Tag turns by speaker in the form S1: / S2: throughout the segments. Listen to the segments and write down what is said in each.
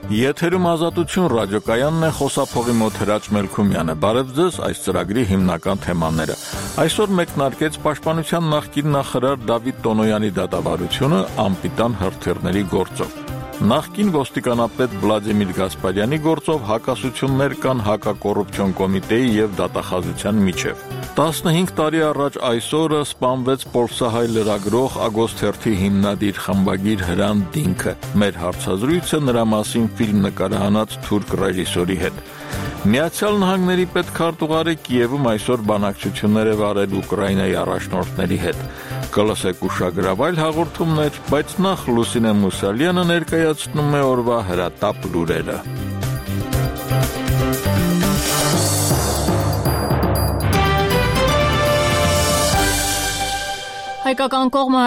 S1: Եթերում Ազատություն ռադիոկայանն է, խոսափողի մոտ Հրաչ Մելքումյանը։ Բարև ձեզ, այս ծրագրի հիմնական թեմաները։ Այսօր մեկնարկեց Պաշտպանության նախկին նախարար Դավիթ Տոնոյանի դատավարությունը անպիտան հրթիռների գործով։ Նախկին ոստիկանապետ Վլադիմիր Գասպարյանի գործով հակասություններ կան հակակոռուպցիոն կոմիտեի եւ դատախազության միջև։ 15 տարի առաջ այսօրը սպանվեց Պոլսահայ լրագրող Ագոստ Հերթի հիմնադիր խմբագիր Հրանտ Դինքը։ Մեր հարցազրույցը նրա մասին ֆիլմ նկարահանած թուրք ռեժիսորի հետ։ Միացյալ Նահանգների պետքարտուղարը Կիևում այսօր բանակցություններ է վարել Ուկրաինայի առաջնորդների հետ։ Կլսեք ուշագրավայր հաղորդումներ, բայց նախ Լուսինե Մուսալյանը ներկայացնում է օրվա հրատապ լուրերը։
S2: Հայկական կողմը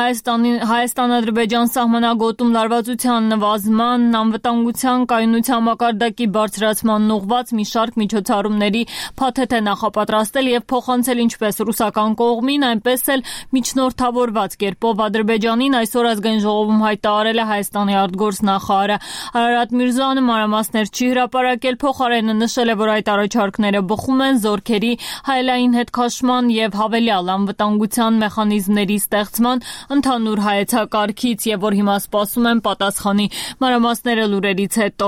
S2: Հայաստան-Ադրբեջան սահմանագոտում լարվածության նվազման, անվտանգության կայունության մակարդակի բարձրացման ուղղված մի շարք միջոցառումների փաթեթ է նախապատրաստել եւ փոխանցել ինչպես ռուսական կողմին, այնպես էլ միջնորդավորված կերպով Ադրբեջանին այսօր ազգային ժողովում հայտարարել է Հայաստանի արտգործնախարարը Արարատ Միրզոյանը մանրամասներ չի հրապարակել, փոխարենը նշել է, որ այդ առաջարկները բխում են զորքերի հայելային հետքաշման եւ հավելյալ անվտանգության մեխանիզմների ստեղծման ընդհանուր հայեցակարգից եւ որ հիմա սպասում են պատասխանի մանրամասները լուրերից հետո։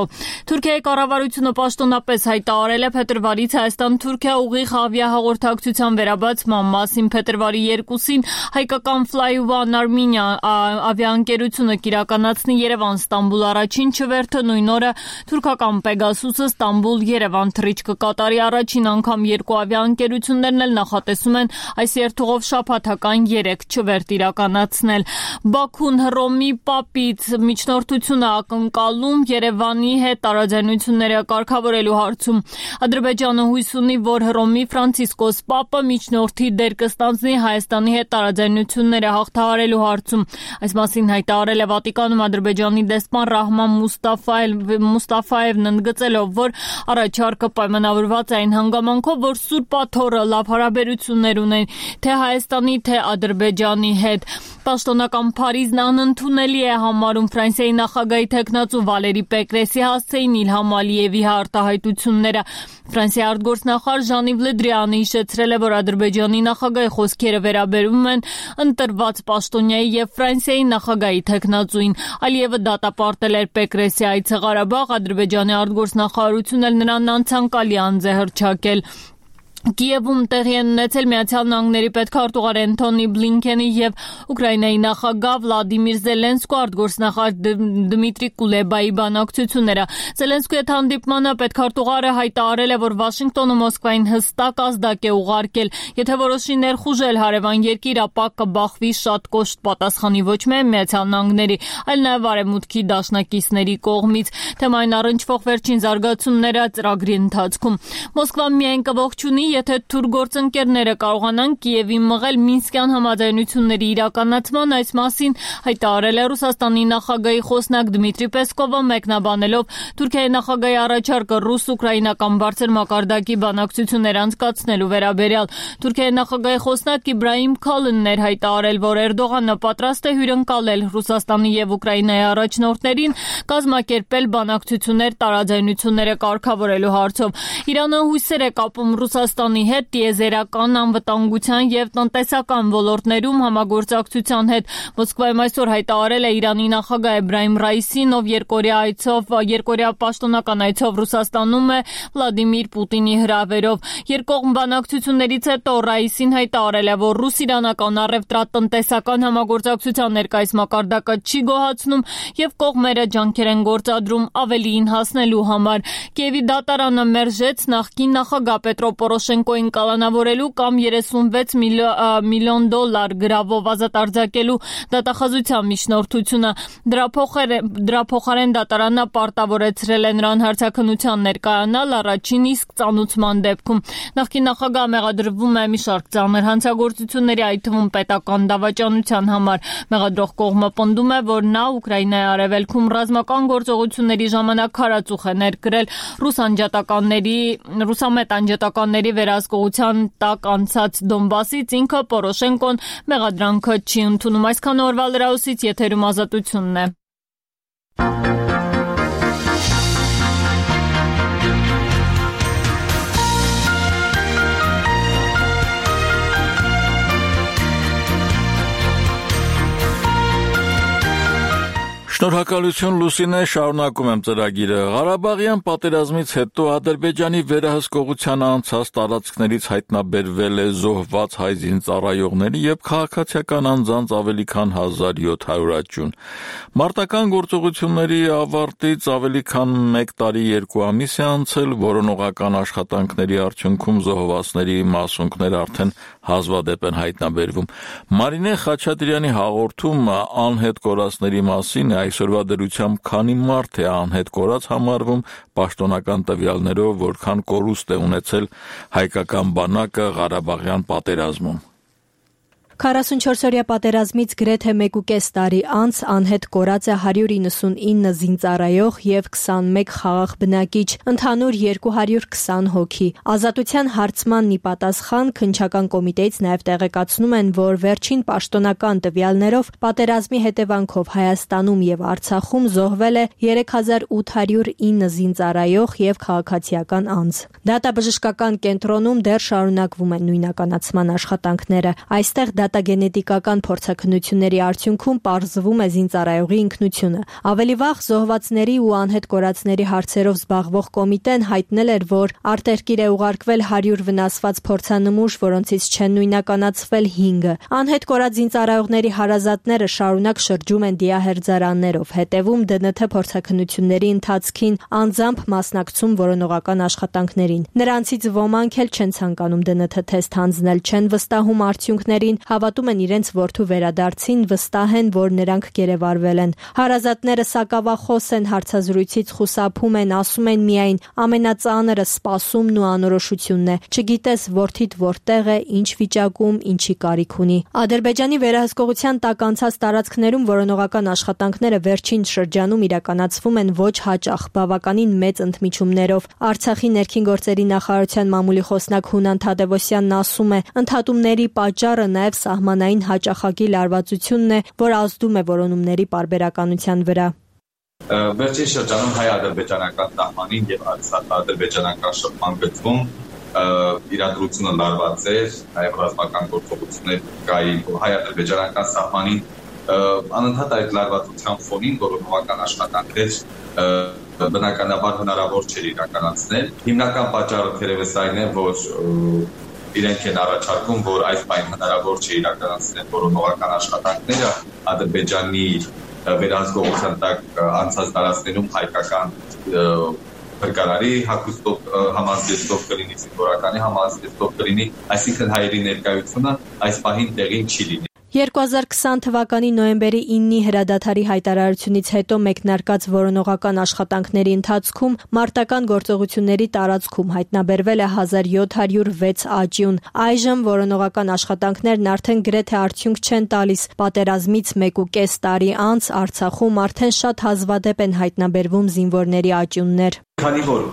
S2: Թուրքիայի կառավարությունը պաշտոնապես հայտարարել է փետրվարից Հայաստան-Թուրքիա ուղիղ ավիահաղորդակցության վերաբացման մասին։ Փետրվարի 2-ին հայկական Fly1 Armenia ավիաընկերությունը կիրականացնի Երևան-Ստամբուլ առաջին չվերթը, նույն օրը թուրքական Pegasus-ը Ստամբուլ-Երևան թռիչք կկատարի առաջին անգամ երկու ավիաընկերություններն էլ նախատեսում են այս երթուղով շաբաթական 3 չվերթ իրականացնել։ Բաքուն Հռոմի Պապից միջնորդությունը ակնկալում Երևանի հետ տարաձայնությունները կարգավորելու հարցում։ Ադրբեջանը հույս ունի, որ Հռոմի Ֆրանցիսկոս Պապը միջնորդի դեր կստանձնի Հայաստանի հետ տարաձայնությունները հաղթահարելու հարցում։ Այս մասին հայտարարել է Վատիկանում Ադրբեջանի դեսպան Ռահման Մուստաֆայևն ընդգծելով, որ առաջարկը պայմանավորված է այն հանգամանքով, որ Սուրբ Աթոռը լավ հարաբերություններ ունեն թե Հայաստանի, թե Ադրբեջանի հետ։ Պաշտոնական Փարիզն անընդունելի է համարում Ֆրանսիայի նախագահի թեկնածու Վալերի Պեկրեսի հասցեին Իլհամ Ալիևի արտահայտությունները։ Ֆրանսիայի արտգործնախարար Ժան-Իվ Լը Դրիանը հիշեցրել է, որ Ադրբեջանի նախագահի խոսքերը վերաբերում են ընտրված պաշտոնյայի եւ Ֆրանսիայի նախագահի թեկնածուին։ Ալիևը դատապարտել էր Պեկրեսի այցը Ղարաբաղ, Ադրբեջանի արտգործնախարարությունն էլ նրան անցանկալի անձ է հռչակել։ Կիևում տեղի են ունեցել Միացյալ Նահանգների պետքարտուղար Անթոնի Բլինքենի եւ Ուկրաինայի նախագահ Վլադիմիր Զելենսկու արտգործնախարար Դմիտրի Կուլեբայի բանակցությունները։ Զելենսկուի հետ հանդիպմանը պետքարտուղարը հայտարարել է, որ Վաշինգտոնը Մոսկվային հստակ ազդակ է ուղարկել, եթե որոշի ներխուժել հարևան երկիր, ապա կբախվի շատ կոշտ պատասխանի ոչ միայն Միացյալ Նահանգների, այլ նաեւ Արևմուտքի դաշնակիցների կողմից։ Թեմային առնչվող վերջին զարգացումները ծրագրի ընթացքում։ Մոսկվան միայն կողջունի, եթե թուրք գործընկերները կարողանան Կիևի մղել Մինսկյան համաձայնությունների իրականացման, այս մասին հայտարարել է Ռուսաստանի նախագահի խոսնակ Դմիտրի Պեսկովը, մեկնաբանելով Թուրքիայի նախագահի առաջարկը ռուս-ուկրաինական բարձր մակարդակի բանակցություններ անցկացնելու վերաբերյալ։ Թուրքիայի նախագահի խոսնակ Իբրահիմ Քալինն էր հայտարարել, որ Էրդողանը պատրաստ է հյուրընկալել Ռուսաստանի եւ Ուկրաինայի առաջնորդներին կազմակերպել բանակցություններ տարաձայնությունները կարգավորելու հարցով։ Իրանը հույսեր է կապում Ռուսաստանի հետ տիեզերական, անվտանգության եւ տնտեսական ոլորտներում համագործակցության հետ։ Մոսկվայում այսօր հայտարարել է Իրանի նախագահ Էբրահիմ Ռայիսին, ով երկօրյա պաշտոնական այցով Ռուսաստանում է Վլադիմիր Պուտինի հրավերով։ Երկկողմ բանակցություններից հետո Ռայիսին հայտարարել է, որ ռուս-իրանական առևտրատնտեսական համագործակցության ներկայիս մակարդակը չի գոհացնում եւ կողմերը ջանքեր են գործադրում ավելիին հասնելու համար։ Կիևի դատարանը մերժեց նախկին նախագահ Պետրո Պորոշենկոին կալանավորելու կամ 36 միլիոն դոլար գրավով ազատ արձակելու դատախազության միջնորդությունը։ Դրա փոխարեն դատարանը պարտավորեցրել է նրան հարցաքննության ներկայանալ առաջին իսկ ծանուցման դեպքում։ Նախկին նախագահը մեղադրվում է մի շարք ծանր հանցագործությունների, այդ թվում պետական դավաճանության համար։ Մեղադրող կողմը պնդում է, որ նա Ուկրաինայի արևելքում ռազմական գործողությունների ժամանակ քարածուխ է ներկրել ռուսամետ անջատականների վերահսկողության տակ անցած Դոնբասից, ինքը Պորոշենկոն մեղադրանքը չի ընդունում։ Այսքան օրվա լրահոսից եթերում Ազատությունն է։
S1: Շնորհակալություն Լուսինե, շարունակում եմ ծրագիրը։ Ղարաբաղյան պատերազմից հետո Ադրբեջանի վերահսկողության անցած տարածքներից հայտնաբերվել է զոհված հայ զինծառայողների եւ քաղաքացիական անձանց ավելի քան 1700 աճյուն։ Մարտական գործողությունների ավարտից ավելի քան 1 տարի 2 ամիս է անցել, որոնողական աշխատանքների արդյունքում զոհվածների մասունքները արդեն հազվադեպ են հայտնաբերվում։ Մարինե Խաչատրյանի հաղորդումը անհետ կորածների մասին այսօրվա դրությամբ քանի մարդ է անհետ կորած համարվում պաշտոնական տվյալներով, որքան կորուստ է ունեցել հայկական բանակը Ղարաբաղյան պատերազմում։
S3: 44-օրյա պատերազմից գրեթե 1.5 տարի անց անհետ կորած է 199 զինծառայող եւ 21 խաղաղ բնակիչ, ընդհանուր 220 հոգի։ Ազատության հարցմանն ի պատասխան քննչական կոմիտեից նաեւ տեղեկացնում են, որ վերջին պաշտոնական տվյալներով պատերազմի հետևանքով Հայաստանում եւ Արցախում զոհվել է 3809 զինծառայող եւ քաղաքացիական անձ։ Դատաբժշկական կենտրոնում դեռ շարունակվում են նույնականացման աշխատանքները։ Այստեղ դատագենետիկական փորձաքննությունների արդյունքում պարզվում է զինծառայողի ինքնությունը։ Ավելի վաղ զոհվածների ու անհետ կորածների հարցերով զբաղվող կոմիտեն հայտնել էր, որ արտերկիր է ուղարկվել 100 վնասված փորձանմուշ, որոնցից չեն նույնականացվել 5-ը։ Անհետ կորած զինծառայողների հարազատները շարունակ շրջում են դիահերձարաններով, հետևում ԴՆԹ փորձաքննությունների ընթացքին, անձամբ մասնակցում որոնողական աշխատանքներին։ Նրանցից ոմանք էլ չեն ցանկանում ԴՆԹ թեստ հանձնել, չեն վստահում արդյունքներին, հավատում են իրենց որդու վերադարձին, վստահ են, որ նրանք գերեվարվել են։ Հարազատները սակավախոս են, հարցազրույցից խուսափում են, ասում են միայն ամենածանրը սպասումն ու անորոշությունն է։ Չգիտես որդիդ որտեղ է, ինչ վիճակում, ինչի կարիք ունի։ Ադրբեջանի վերահսկողության տակ անցած տարածքներում որոնողական աշխատանքները վերջին շրջանում իրականացվում են ոչ հաճախ, բավականին մեծ ընդմիջումներով։ Արցախի ներքին գործերի նախարարության մամուլի խոսնակ Հունան Թադևոսյանն ասում է, ընդհատումների պատճառը նաև սահմանային հաճախակի լարվածությունն է, որ ազդում է որոնումների պարբերականության վրա։
S4: Վերջին շրջանում հայ-ադրբեջանական սահմանին եւ ադրբեջանական շփման գծում իրադրությունը լարված էր, նաև ռազմական գործողություններ կային հայ-ադրբեջանական սահմանին անընդհատ այդ լարվածության ֆոնին որոնողական աշխատանքներ բնականաբար հնարավոր չէր իրականացնել։ Հիմնական պատճառը թերևս այն է, որ իրենք են առաջարկում, որ այս պայն հնարավոր չէ իրականացնել որոնողական աշխատանքները Ադրբեջանի վերահսկողության տակ անցած տարածքներում հայկական փրկարարի հագուստով համազդեցող կլինի, զինվորականի համազդեցող կլինի, այսինքն հայերի ներկայությունը այս պահին տեղին չի լինի։
S3: 2020 թվականի նոյեմբերի 9-ի հրադադարի հայտարարությունից հետո մեկնարկած որոնողական աշխատանքների ընթացքում մարտական գործողությունների տարածքում հայտնաբերվել է 1706 աճյուն։ Այժմ որոնողական աշխատանքներն արդեն գրեթե արդյունք չեն տալիս։ Պատերազմից 1.5 տարի անց Արցախում արդեն շատ հազվադեպ են հայտնաբերվում զինվորների աճյուններ։
S4: Քանի որ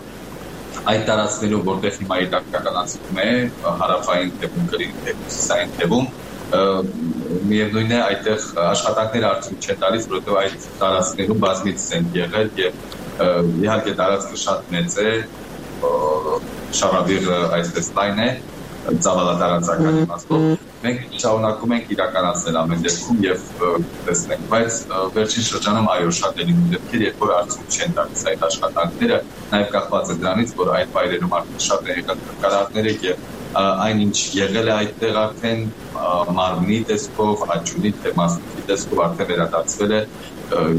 S4: այդ տարածքներում, որտեղ հիմա իրականացվում է հարավային թևում, հյուսիսային թևում, միևնույն է այդտեղ աշխատանքները արդյունք չեն տալիս, որովհետև այդ տարածքներում բազմիցս են եղել եւ իհարկե տարածքը շատ մեծ է, շարավիղը այսպես լայն է, ծավալատարածական իմաստով։ Մենք շարունակում ենք իրականացնել ամեն դեպքում եւ տեսնենք, բայց վերջին շրջանում այո շատ են դեպքեր, երբ որ արդյունք չեն տալիս այդ աշխատանքները, նաեւ կախված է դրանից, որ այդ վայրերում արդեն շատ են եղել փրկարարները եւ այն ինչ եղել է այդտեղ արդեն մարմնի տեսքով, աճյունի մասնիկի տեսքով արդեն վերադարձվել է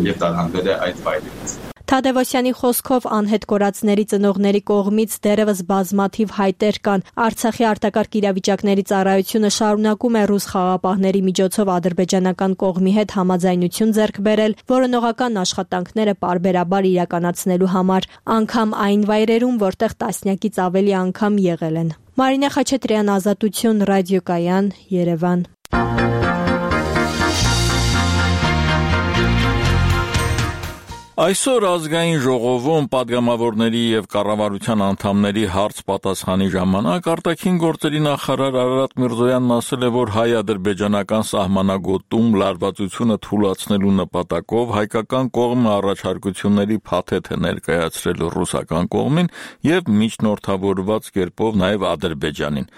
S4: եւ տարհանվել է այդ վայրից։
S3: Թադևոսյանի խոսքով անհետ կորածների ծնողների կողմից դեռևս բազմաթիվ հայտեր կան։ Արցախի արտակարգ իրավիճակների ծառայությունը շարունակում է ռուս խաղաղապահների միջոցով ադրբեջանական կողմի հետ համաձայնություն ձեռք բերել որոնողական աշխատանքները պարբերաբար իրականացնելու համար, անգամ այն վայրերում, որտեղ տասնյակից ավելի անգամ եղել են։ Մարինե Խաչատրյան, Ազատություն, Ռադիոկայան, Երևան։
S1: Այսօր ազգային ժողովում падգամավորների եւ կառավարության անդամների հարց-պատասխանի ժամանակ արտաքին գործերի նախարար Արարատ Միրզոյանն ասել է, որ հայ-ադրբեջանական սահմանագոտում լարվածությունը թույլատնելու նպատակով հայկական կողմը առաջարկությունների փաթեթ է ներկայացրել ռուսական կողմին եւ միջնորդավորված կերպով նաեւ Ադրբեջանին։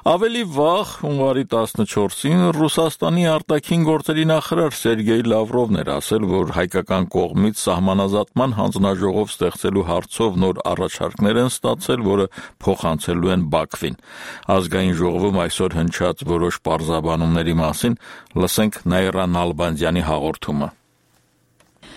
S1: Ավելի վաղ, հունվարի 14-ին Ռուսաստանի արտաքին գործերի նախարար Սերգեյ Լավրովն էր ասել, որ հայկական կողմից սահմանազատման հանձնաժողով ստեղծելու հարցով նոր առաջարկներ են ստացել, որը փոխանցելու են Բաքվին։ Ազգային ժողովում այսօր հնչած որոշ պարզաբանումների մասին լսենք Նաիրա Նալբանդյանի հաղորդումը։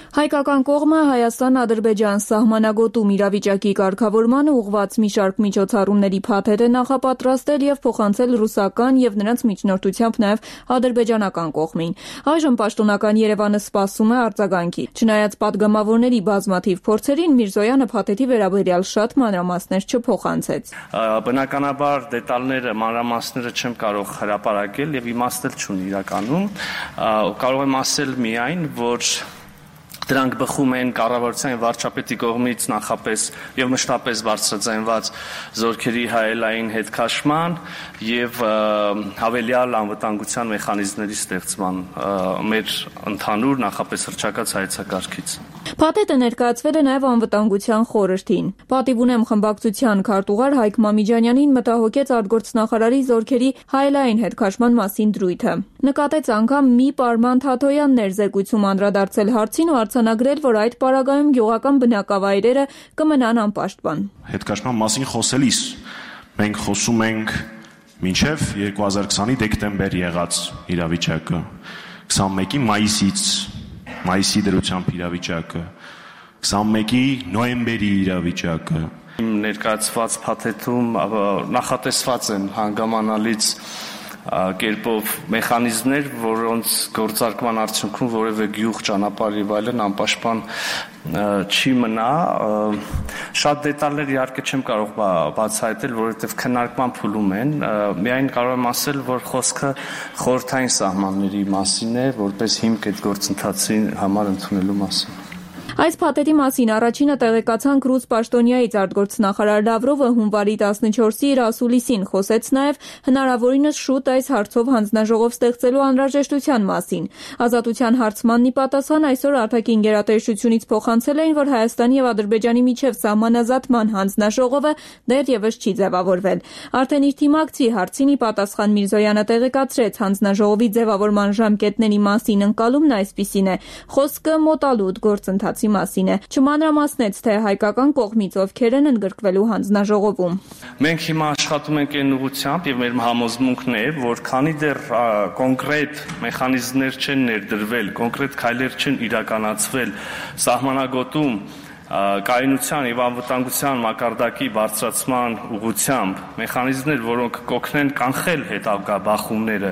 S5: Հայկական կողմը Հայաստան-Ադրբեջան սահմանագոտում իրավիճակի կարգավորմանը ուղղված մի շարք միջոցառումների փաթեթ է նախապատրաստել եւ փոխանցել ռուսական եւ նրանց միջնորդությամբ նաեւ ադրբեջանական կողմին։ Այժմ պաշտոնական Երևանը սպասում է արձագանքի։ Չնայած падգամավորների բազմաթիվ փորձերին, Միրզոյանը փաթեթի վերաբերյալ շատ մանրամասներ չփոխանցեց։
S6: Բնականաբար դետալները, մանրամասները չեմ կարող հրապարակել եւ իմաստել չունի իրականում։ Կարող եմ ասել միայն, որ դրանք բխում են կառավարության եւ վարչապետի կողմից նախապես եւ մշտապես բարձրաձայնված զորքերի հայելային հետքաշման եւ հավելյալ անվտանգության մեխանիզմների ստեղծման մեր ընդհանուր նախապես հռչակած հայեցակարգից։
S5: Փաթեթը ներկայացվել է նաեւ անվտանգության խորհրդին։ Պատիվ ունեմ խմբակցության քարտուղար Հայկ Մամիջանյանին մտահոգեց արտգործնախարարի զորքերի հայելային հետքաշման մասին դրույթը։ Նկատեց անգամ մի պարման Թաթոյան ներզեկույցում անդրադարձել հարցին ու արձանագրել, որ այդ պարագայում գյուղական բնակավայրերը կմնան անպաշտպան։
S7: Հետքաշման մասին խոսելիս մենք խոսում ենք մինչև 2020-ի դեկտեմբեր եղած իրավիճակը, 21-ի մայիսի դրությամբ իրավիճակը, 21-ի նոյեմբերի իրավիճակը։
S6: Ներկայացված փաթեթում նախատեսված են հանգամանալից կերպով մեխանիզմներ, որոնց գործարկման արդյունքում որևէ գյուղ, ճանապարհ եւ այլն անպաշտպան չի մնա։ Շատ դետալներ իհարկե չեմ կարող բացահայտել, որովհետեւ քննարկման փուլում են։ Միայն կարող եմ ասել, որ խոսքը խորհրդային սահմանների մասին է, որպես հիմք այդ գործընթացի համար ընդունելու մասին։
S5: Այս փաթեթի մասին առաջինը տեղեկացանք ռուս պաշտոնյայից արտգործնախարար Լավրովը հունվարի 14-ի իր ասուլիսին խոսեց նաև հնարավորինս շուտ այս հարցով հանձնաժողով ստեղծելու անհրաժեշտության մասին։ Ազատության հարցմանն ի պատասխան այսօր արտաքին գերատեսչությունից փոխանցել էին, որ Հայաստանի եւ Ադրբեջանի միջև սահմանազատման հանձնաժողովը դեռևս չի ձևավորվել։ Արդեն իր թիմակցի հարցին ի պատասխան Միրզոյանը տեղեկացրեց հանձնաժողովի ձևավորման ժամկետների մասին ընկալումն այսպիսին է. խոսքը մոտալուտ գործընթացի մասին է։ Չմանրամասնեց, թե հայկական կողմից ովքեր են ընդգրկվելու հանձնաժողովում։
S6: Մենք հիմա աշխատում ենք այն ուղղությամբ եւ մեր համոզմունքն է, որ քանի դեռ կոնկրետ մեխանիզմներ չեն ներդրվել, կոնկրետ քայլեր չեն իրականացվել սահմանագոտում կայունության եւ անվտանգության մակարդակի բարձրացման ուղղությամբ, մեխանիզմներ, որոնք կօգնեն կանխել հետագա բախումները,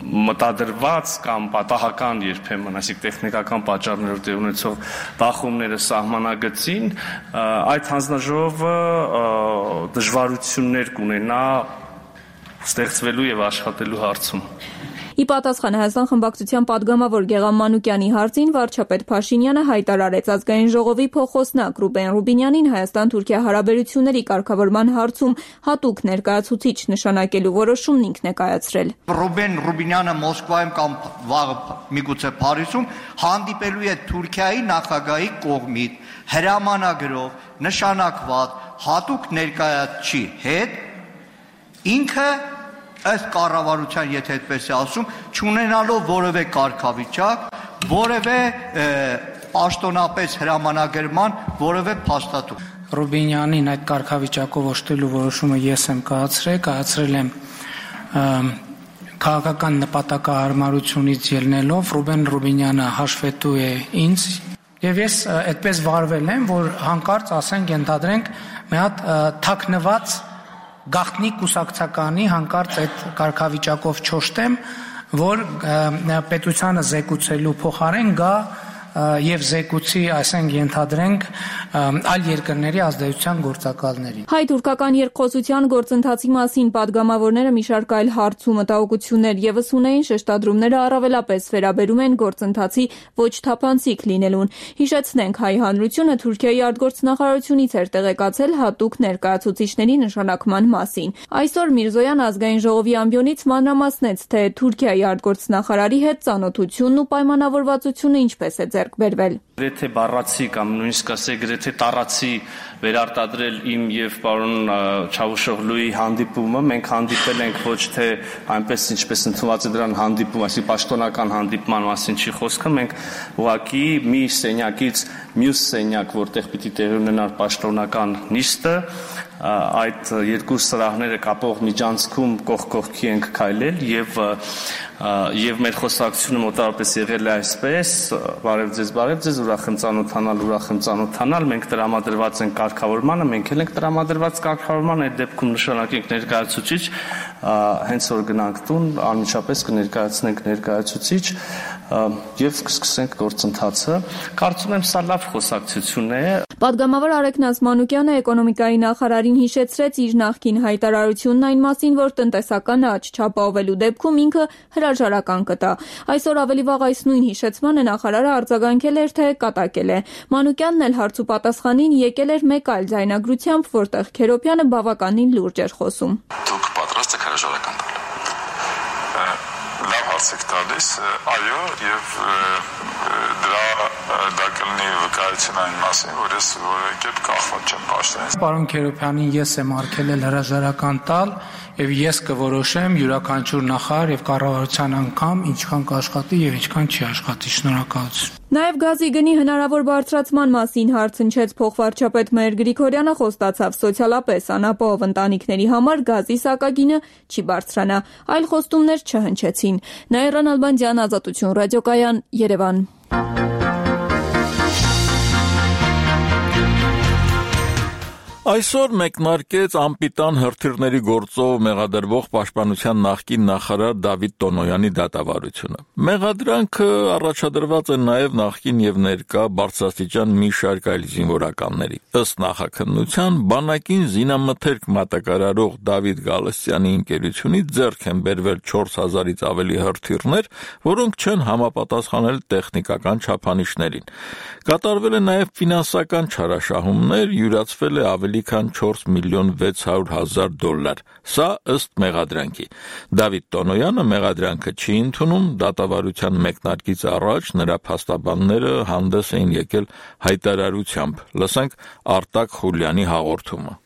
S6: մտադրված կամ պատահական երբեմն, այսինքն տեխնիկական պատճառներով տեղ ունեցող բախումները սահմանագծին, այդ հանձնաժողովը դժվարություններ կունենա ստեղծվելու եւ աշխատելու հարցում։
S5: Ի պատասխան Հայաստան խմբակցության падգամավոր Գեղամ Մանուկյանի հարցին վարչապետ Փաշինյանը հայտարարեց ազգային ժողովի փոխոսնակ Ռուբեն Ռուբինյանին Հայաստան-Թուրքիա հարաբերությունների կարգավորման հարցում հատուկ ներկայացուցիչ նշանակելու որոշումն ինքն է կայացրել։
S8: Ռուբեն Ռուբինյանը Մոսկվայում կամ վաղը միգուցե Փարիզում հանդիպելու է Թուրքիայի նախագահի կողմից հրամանագրով նշանակված հատուկ ներկայացուցչի հետ, ինքը ըստ կառավարության, եթե այդպես է ասում, չունենալով որևէ կարգավիճակ, որևէ պաշտոնապես հրամանագրման որևէ փաստաթուղթ։
S9: Ռուբինյանին այդ կարգավիճակով օժտելու որոշումը ես եմ կայացրել եմ քաղաքական նպատակահարմարությունից ելնելով Ռուբեն Ռուբինյանը հաշվետու է ինձ եւ ես այդպես վարվել եմ, որ հանկարծ ասենք ենթադրենք մի հատ թաքնված գաղտնի կուսակցականի հանկարծ այդ կարգավիճակով չոշտեմ, որ պետությանը զեկուցելու փոխարեն գա եւ զեկուցի, այսինքն ենթադրենք այլ երկրների ազդեցության գործակալներին։
S5: Հայ-թուրքական երկխոսության գործընթացի մասին падգամավորները մի շարք այլ հարց ու մտահոգություններ եւս ունեին, շեշտադրումները առավելապես վերաբերում են գործընթացի ոչ թափանցիկ լինելուն։ Հիշեցնենք, հայ հանրությունը Թուրքիայի արտգործնախարարությունից էր տեղեկացել հատուկ ներկայացուցիչների նշանակման մասին։ Այսօր Միրզոյան ազգային ժողովի ամբիոնից մանրամասնեց, թե Թուրքիայի արտգործնախարարի հետ ծանոթությունն ու պայմանավորվածությունը ինչպես է ձեռք բերվել։
S6: Գրեթե բառացի կամ նույնիսկ ասենք գրեթե տառացի վերարտադրել իմ եւ պարոն Չավուշօղլուի հանդիպումը, մենք հանդիպել ենք ոչ թե այնպես ինչպես ընդունված է դրան հանդիպում, այսինքն պաշտոնական հանդիպման մասին չի խոսքը, մենք ուղղակի մի սենյակից մյուս սենյակ, որտեղ պիտի տեղի ունենար պաշտոնական նիստը, այդ երկու սրահները կապող միջանցքում կողք կողքի ենք քայլել եւ մեր խոսակցությունը մոտավորապես եղել է այսպես. բարև ձեզ, ուրախ եմ ծանոթանալ, մենք տրամադրված ենք կարգավորմանը, մենք էլ ենք տրամադրված կարգավորմանը, այդ դեպքում նշանակենք ներկայացուցիչ, հենց որ գնանք տուն, անմիջապես կներկայացնենք ներկայացուցիչ եւ կսկսենք գործընթացը։ Կարծում եմ սա լավ խոսակցություն է։
S5: Պատգամավոր Արեգ Նազմանուկյանը էկոնոմիկայի նախարարին հիշեցրեց իր նախկին հայտարարությունն այն մասին, որ տնտեսական աճ չապահովելու դեպքում ինքը հրաժարական կտա։ Այսօր ավելի վաղ այս նույն հիշեցմանը նախարարը արձագանքել էր, թե կատակել է։ Մանուկյանն էլ հարց ու պատասխանին եկել էր մեկ այլ ձայնագրությամբ, որտեղ Քերոբյանը բավականին լուրջ էր խոսում։
S10: Դուք պատրաստ եք հրաժարական տալ։ Լավ հարց եք տալիս, այո, եւ դա կլինի վկայություն այն մասին, որ ես որևէ կերպ կախված չեմ պաշտոնից։
S9: Պարոն Քերոբյանին ես եմ արգելել հրաժարական տալ եւ ես կորոշեմ յուրաքանչյուր նախարար եւ կառավարության անդամ ինչքան կաշխատի եւ ինչքան չի աշխատի։ Շնորհակալություն։
S5: Նաև գազի գնի հնարավոր բարձրացման մասին հարց հնչեց փոխվարչապետ Մհեր Գրիգորյանը, խոստացավ սոցիալապես անապահով ընտանիքների համար գազի սակագինը չի բարձրանա, այլ խոստումներ չհնչեցին։ Նաիրա Նալբանդյան, Ազատություն ռադիոկայան, Երևան։
S1: Այսօր մեկնարկեց անպիտան հրթիռների գործով մեղադրվող պաշտպանության նախկին նախարար Դավիթ Տոնոյանի դատավարությունը։ Մեղադրանքը առաջադրված է նաև նախկին եւ ներկա բարձրաստիճան մի շարք այլ զինվորականների։ Ըստ նախաքննության, բանակին զինամթերք մատակարարող Դավիթ Գալստյանի ընկերությունից ձեռք են բերվել 4000-ից ավելի հրթիռներ, որոնք չեն համապատասխանել տեխնիկական չափանիշներին։ Կատարվել է նաև ֆինանսական չարաշահումներ, յուրացվել է ավելի քան 4 միլիոն 600 հազար դոլար։ Սա ըստ մեղադրանքի։ Դավիթ Տոնոյանը մեղադրանքը չի ընդունում, դատավարության մեկնարկից առաջ նրա փաստաբանները հանդես էին եկել հայտարարությամբ։ Լսենք Արտակ Խուլյանի հաղորդումը։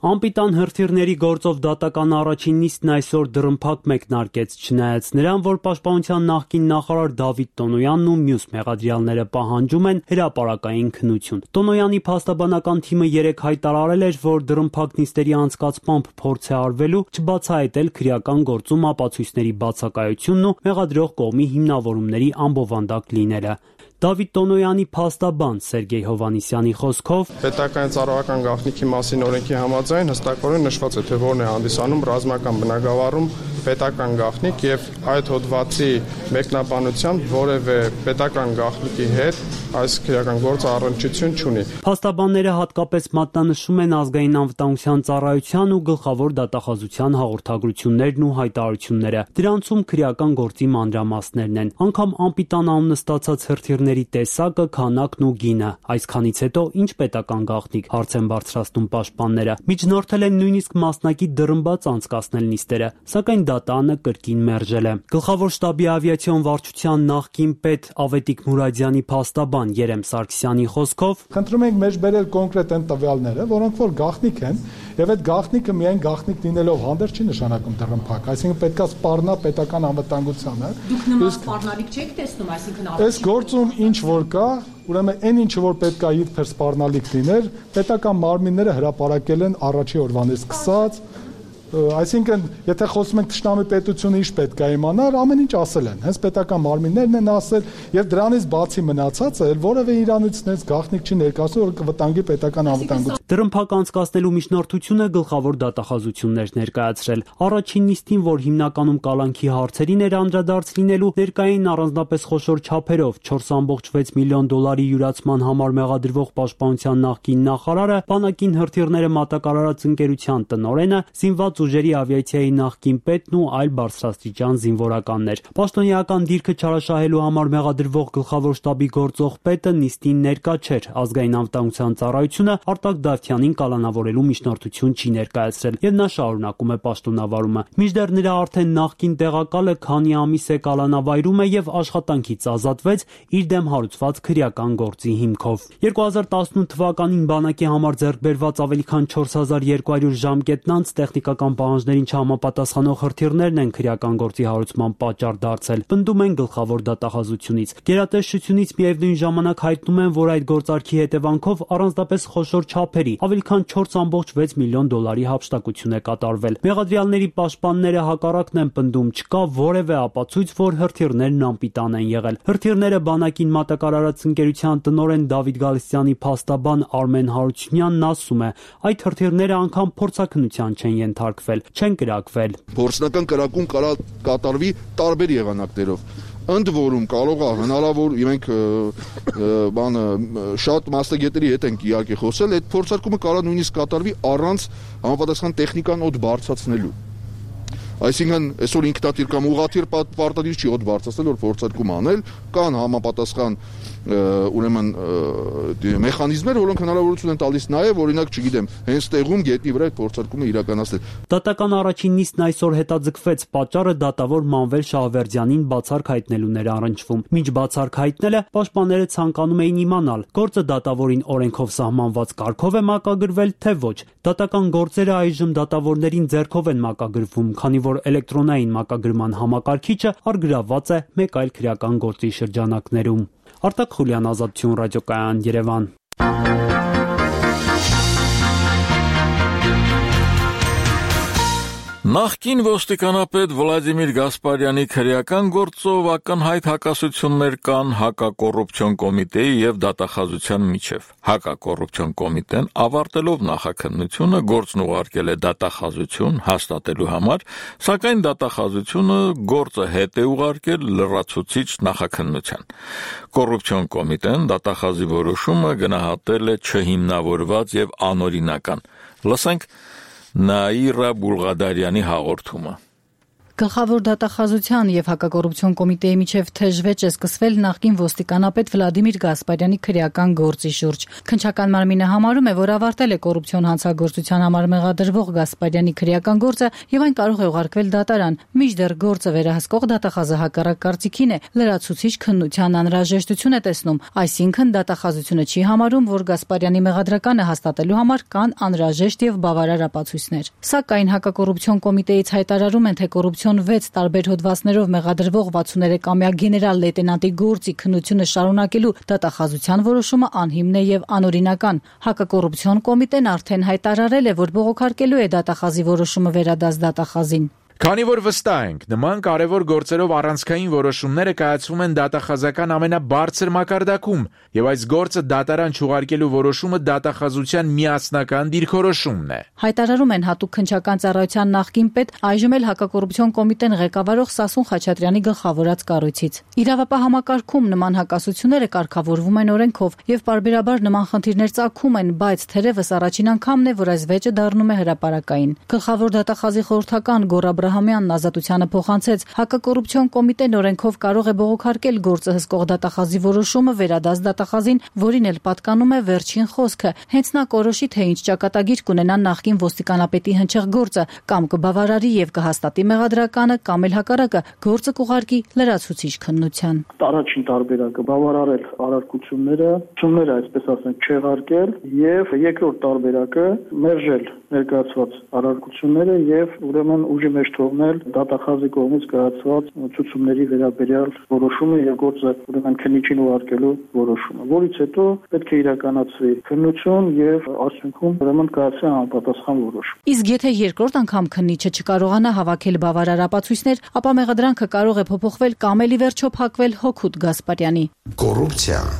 S11: Անպիտան հրթիռների գործով դատական առաջին նիստն այսօր դռնփակ մեկնարկեց, չնայած նրան, որ պաշտպանության նախկին նախարար Դավիթ Տոնոյանն ու մյուս մեղադրյալները պահանջում են հրապարակային քննություն։ Տոնոյանի փաստաբանական թիմը երեկ հայտարարել էր, որ դռնփակ նիստերի անցկացմամբ փորձ է արվելու չբացահայտել քրեական գործում ապացույցների բացակայությունն ու մեղադրող կողմի հիմնավորումների անբովանդակ լինելը։ Դավիթ Տոնոյանի փաստաբան Սերգեյ Հովանիսյանի խոսքով
S12: պետական ծառայական գաղտնիքի մասին օրենքի համաձայն հստակորեն նշված է, թե որն է հանդիսանում ռազմական բնագավառում պետական գաղտնիք եւ այդ հոդվածի մեկնաբանությամբ որևէ պետական գաղտնիքի հետ այս քրեական գործը առնչություն չունի։
S11: Փաստաբանները հատկապես մատնանշում են ազգային անվտանգության ծառայության ու գլխավոր դատախազության հաղորդագրություններն ու հայտարարությունները։ Դրանցում քրեական գործի մանրամասներն են, անգամ անպիտան անունը ստացած հրթիռների տեսակը, քանակն ու գինը։ Այսքանից հետո ինչ պետական գաղտնիք, հարց են բարձրացնում պաշտպանները։ Միջնորդել են նույնիսկ մասնակի դռնբաց անցկացնել նիստերը, սակայն դատանը կրկին մերժել է։ Գլխավոր շտաբի ավիացիոն վարչության նախկին պետ Ավետիք Մուրադյանի փաստաբան Երեմ Սարգսյանի խոսքով
S13: խնդրում ենք մեջ բերել կոնկրետ այն տվյալները, որոնք որ գաղտնիք են, եւ այդ գաղտնիքը միայն գաղտնիք լինելով հանդերձ չի նշանակում դռնփակ, այսինքն պետքա սպառնա պետական անվտանգությանը։
S14: Դուք նման սպառնալիք չեք տեսնում, այսինքն
S13: այս գործում ինչ որ կա, ուրեմն այն ինչը որ պետքա իբր սպառնալիք լիներ, պետական մարմինները հրապարակել են առաջի օրվանից սկսած Այսինքն, եթե խոսում ենք թշնամի պետությունը ինչ պետք է իմանար, ամեն ինչ ասել են։ Հենց պետական մարմիններն են ասել, եւ դրանից բացի մնացածը որևէ իրանությունից գաղտնիք չի ներկայացնում, որ կվտանգի պետական անվտանգությունը։
S11: Դրըմփակ անցկացնելու միջնորդությունը գլխավոր դատախազություններ ներկայացրել։ Առաջին նիստին, որ հիմնականում կալանքի հարցերին էր անդրադարձ լինելու, ներկային առանձնապես խոշոր չափերով 4.6 միլիոն դոլարի յուրացման համար մեղադրվող պաշտպանության նախկին նախարարը, բանակին հրթիռները մատակարարած ընկերության տնօրենը, զինված ուժերի ավիացիայի նախկին պետն ու այլ բարձրաստիճան զինվորականներ։ Պաշտոնեական դիրքը չարաշահելու համար մեղադրվող գլխավոր շտաբի գործող պետը նիստին ներկա չէր։ Ազգային անվտանգության ծառայությունը Արտակ Դավթյանին կալանավորելու միջնորդություն չի ներկայացրել, եւ նա շարունակում է պաշտոնավարումը։ Մինչդեռ նրա արդեն նախկին տեղակալը քանի ամիս է կալանավայրում է եւ աշխատանքից ազատվեց իր դեմ հարուցված քրեական գործի հիմքով։ 2018 թվականին բանակի համար ձեռք բերված ավելի քան 4200 ժամկետն անց տեխնիկական պահանջներին չհամապատասխանող հրթիռներն են քրեական գործի հարուցման պատճառ դարձել, պնդում են գլխավոր դատախազությունից։ Գերատեսչությունից միևնույն ժամանակ հայտնում են, որ այդ գործարքի հետևանքով առանձնապես խոշոր չափերի ավելի քան 4.6 միլիոն դոլարի հափշտակություն է կատարվել։ Մեղադրյալների պաշտպանները հակառակն են պնդում, չկա որևէ ապացույց, որ հրթիռներն անպիտան են եղել։ Հրթիռները բանակին մատակարարած ընկերության տնօրեն Դավիթ Գալստյանի փաստաբան Արմեն Հարությունյանն ասում է, այդ հրթիռները անգամ փորձաքննության չեն ենթարկվել, չեն կրակվել։
S15: Փորձնական կրակում կատարվի տարբեր եղանակներով։ Ընդ որում կարող է հնարավոր մենք շատ մասնագետների հետ ենք իհարկե խոսել, այդ փորձարկումը կարող նույնիսկ կատարվի առանց համապատասխան տեխնիկան օդ բարձրացնելու։ Այսինքն այսօր ինքնաթիռ կամ ուղղաթիռ պարտադիր չի օդ բարձրացնել, որ փորձարկում անել, կան համապատասխան ուրեմն մեխանիզմներ, որոնք հնարավորություն են տալիս նաև, օրինակ, չգիտեմ, հենց տեղում գետնի վրա այդ փորձարկումը իրականացնել։
S11: Դատական առաջին նիստն այսօր հետաձգվեց, պատճառը դատավոր Մանվել Շահվերդյանին բացառք հայտնելուն էր առնչվում։ Մինչ բացառք հայտնելը պաշտպանները ցանկանում էին իմանալ, գործը դատավորին օրենքով սահմանված կարգով է մակագրվել, թե ոչ։ Դատական գործերը այժմ դատավորներին ձեռքով են մակագրվում, քանի որ էլեկտրոնային մակագրման համակարգիչը առգրավված է մեկ այլ քրեական գործի շրջանակներում։ Արտակ Խուլյան, Ազատություն ռադիոկայան, Երևան։
S1: Նախկին ոստիկանապետ Վլադիմիր Գասպարյանի քրեական գործով ակնհայտ հակասություններ կան հակակոռուպցիոն կոմիտեի եւ դատախազության միջև։ Հակակոռուպցիոն կոմիտեն ավարտելով նախաքննությունը գործն ուղարկել է դատախազություն հաստատելու համար, սակայն դատախազությունը գործը հետ է ուղարկել լրացուցիչ նախաքննության։ Կոռուպցիոն կոմիտեն դատախազի որոշումը գնահատել է չհիմնավորված եւ անօրինական։ Լսենք Նաիրա Բուլղադարյանի հաղորդումը։
S16: Գլխավոր դատախազության եւ հակակոռուպցիոն կոմիտեի միջև թեժվեճ է սկսվել նախկին ոստիկանապետ Վլադիմիր Գասպարյանի քրեական գործի շուրջ։ Քննչական մարմինը համարում է, որ ավարտել է կոռուպցիոն հանցագործության համար մեղադրվող Գասպարյանի քրեական գործը եւ այն կարող է ուղարկվել դատարան։ Մինչդեռ գործը վերահսկող դատախազը հակառակ կարծիքին է, լրացուցիչ քննության անհրաժեշտություն է տեսնում, այսինքն դատախազությունը չի համարում, որ Գասպարյանի մեղադրականը հաստատելու համար կան անհրաժեշտ եւ բավարար ապացույցներ։ Սակայն հակակոռուպցիոն կոմիտեից հայտարարում են, թե կոռուպցիոն 6 տարբեր հոդվածներով մեղադրվող 63-ամյա գեներալ լեյտենանտի գործի քննությունը շարունակելու դատախազության որոշումը անհիմն է եւ անօրինական։ Հակակոռուպցիոն կոմիտեն արդեն հայտարարել է, որ բողոքարկելու է դատախազի որոշումը վերադաս դատախազին։
S17: Քանի որ վստահ ենք, նման կարևոր գործերով առանցքային որոշումները կայացվում են դատախազական ամենաբարձր մակարդակում, եւ այս գործը դատարան չուղարկելու որոշումը դատախազության միասնական դիրքորոշումն է։
S16: Հայտարարում են հատուկ քննչական ծառայության նախկին պետ, այժմ էլ հակակոռուպցիոն կոմիտեն ղեկավարող Սասուն Խաչատրյանի գլխավորած կառույցից։ Իրավապահ համակարգում նման հակասությունները կարգավորվում են օրենքով եւ պարբերաբար նման խնդիրներ ծագում են, բայց թերևս առաջին անգամն է, որ այս վեճը դառնում է հրապարակային։ Գլխավոր դատախազի խորհրդական Գոռ Աբրահամյանն Ազատությանը փոխանցեց, հակակոռուպցիոն կոմիտեն օրենքով կարող է բողոքարկել գործը հսկող դատախազի որոշումը վերադաս դատախազին, որին էլ պատկանում է վերջին խոսքը։ Հենց նա կորոշի, թե ինչ ճակատագիր կունենա նախկին ոստիկանապետի հնչեղ գործը, կամ կբավարարի եւ կհաստատի մեղադրականը, կամ էլ հակառակը գործը կուղարկի լրացուցիչ քննության։
S18: Առաջին տարբերակը բավարարել առարկությունները, ցումները, այսպես ասենք, չեղարկել, եւ երկրորդ տարբերակը մերժել ներկայացված առարկությունները եւ ուրեմն ուժի մեջ թողնել դատախազի կողմից կայացված ցուցումների վերաբերյալ որոշումը եւ գործը ուրեմն քննիչին ուղարկելու որոշումը, որից հետո պետք է իրականացվի քննություն եւ արդյունքում ուրեմն կայացվի համապատասխան որոշում։
S16: Իսկ եթե երկրորդ անգամ քննիչը չկարողանա հավաքել բավարար ապացույցներ, ապա մեղադրանքը կարող է փոփոխվել կամ էլի վերջո փակվել Հոքուտ Գասպարյանի։
S19: Կոռուպցիան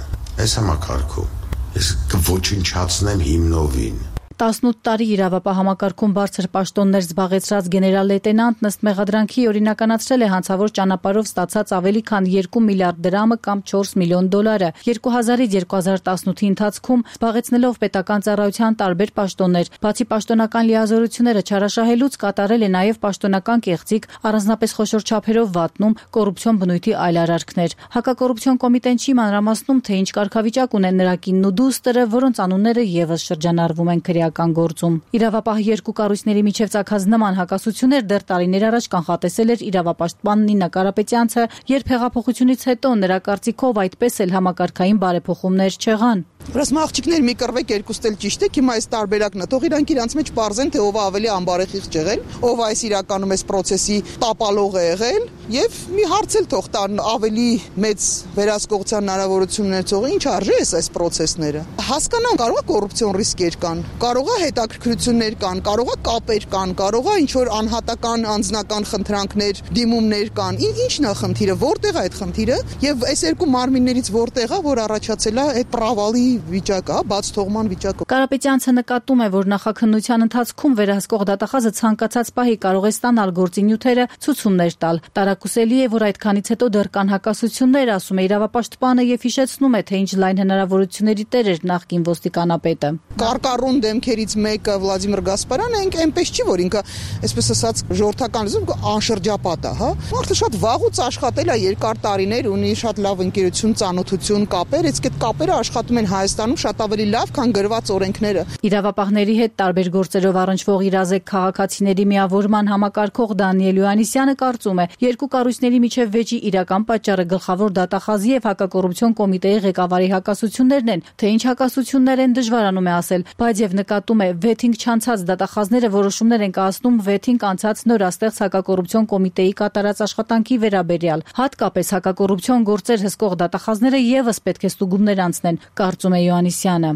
S19: այս համակարգում ես կոչնչացնեմ հիմնովին։
S16: 18 տարի իրավապահ համակարգում բարձր պաշտոններ զբաղեցրած գեներալ լեյտենանտն ըստ մեղադրանքի օրինականացրել է հանցավոր ճանապարհով ստացած ավելի քան 2 միլիարդ դրամը կամ 4 միլիոն դոլարը։ 2000-ից 2018-ի ընթացքում զբաղեցնելով պետական ծառայության տարբեր պաշտոններ, բացի պաշտոնական լիազորությունները չարաշահելուց կատարել է նաև պաշտոնական կեղծիք, առանձնապես խոշոր չափերով վատնում, կոռուպցիոն բնույթի այլ արարքներ։ Հակակոռուպցիոն կոմիտեն չի մանրամասնում, թե ինչ կարգավիճակ ունեն նրա կինն ու դուստրը, որոնց անունները եւս շրջանառվում են քրեական գործում։ Իրավապահ երկու կառույցների միջև ցակած նման հակասություններ դեռ տարիներ առաջ կանխատեսել էր իրավապաշտպան Նինա Կարապետյանցը, երբ հեղափոխությունից հետո նրա կարծիքով այդպես էլ համակարգային բարեփոխումներ չեղան։
S20: Ռասմ աղջիկներ մի կռվեք երկուստ էլ ճիշտ է, հիմա այս տարբերակն է, թող իրանք իրանց մեջ պարզեն, թե ով է ավելի անբարեխիղճ եղել, ով այս իրականում այս process-ի տապալող է եղել, եւ մի հարց էլ թող տան ավելի մեծ վերահսկողության հնարավորություն ունեցողը ինչ արժե այս process-ները։ Հասկանամ, կարող է կոռուպցիոն ռիսկեր կան, կարող է հետաքրքրություններ կան, կարող է կապեր կան, կարող է ինչ որ անհատական անձնական խնդրանքներ, դիմումներ կան։ Ինչն է խնդիրը, որտեղ է այդ խնդիրը, եւ այս երկու մարմիններից որտեղ է, որ առաջացել է այդ պրավալի վիճակը, բաց թողման վիճակը։
S16: Կարապետյանցը նկատում է, որ նախաքննության ընթացքում վերահսկող դատախազը ցանկացած պահի կարող է ստանալ գործի նյութերը, ցուցումներ տալ։ Տարակուսելի է, որ այդքանից հետո դեռ կան հակասություններ, ասում է իրավապաշտպանը եւ հիշեցնում է, թե ինչ լայն հնարավորությունների տեր էր նախկին ոստիկանապետը։
S20: Կարկառուն դեմքերից մեկը Վլադիմիր Գասպարյանը այնպես չի, որ ինքը, այսպես ասած, ժողովրդական լեզվով անշրջապատ է, հա։ Մարդը շատ վաղուց աշխատել է երկար տարիներ, ունի շատ լավ ընկերություն, ծանոթություն, կապեր, իսկ այդ կապերը աշխատում են Հայաստանում շատ ավելի լավ, քան գրված օրենքները։
S16: Իրավապահների հետ տարբեր գործերով առնչվող իրազեկ քաղաքացիների միավորման համակարգող Դանիել Յոհաննիսյանը կարծում է, երկու կառույցների միջև վեճի իրական պատճառը գլխավոր դատախազի եւ հակակոռուպցիոն կոմիտեի ղեկավարի հակասություններն են, թե ինչ հակասություններ են դժվարանում է ասել, բայց եւ նկատում է վեթինգ չանցած դատախազները որոշումներ են կայացնում վեթինգ անցած նորաստեղծ հակակոռուպցիոն կոմիտեի կատարած աշխատանքի վերաբերյալ, հատկապես հակակոռուպցիոն գործեր հսկող դատախազները եւս պետք է ստուգումներ անցնեն, կարծում է Յոհաննիսյանը։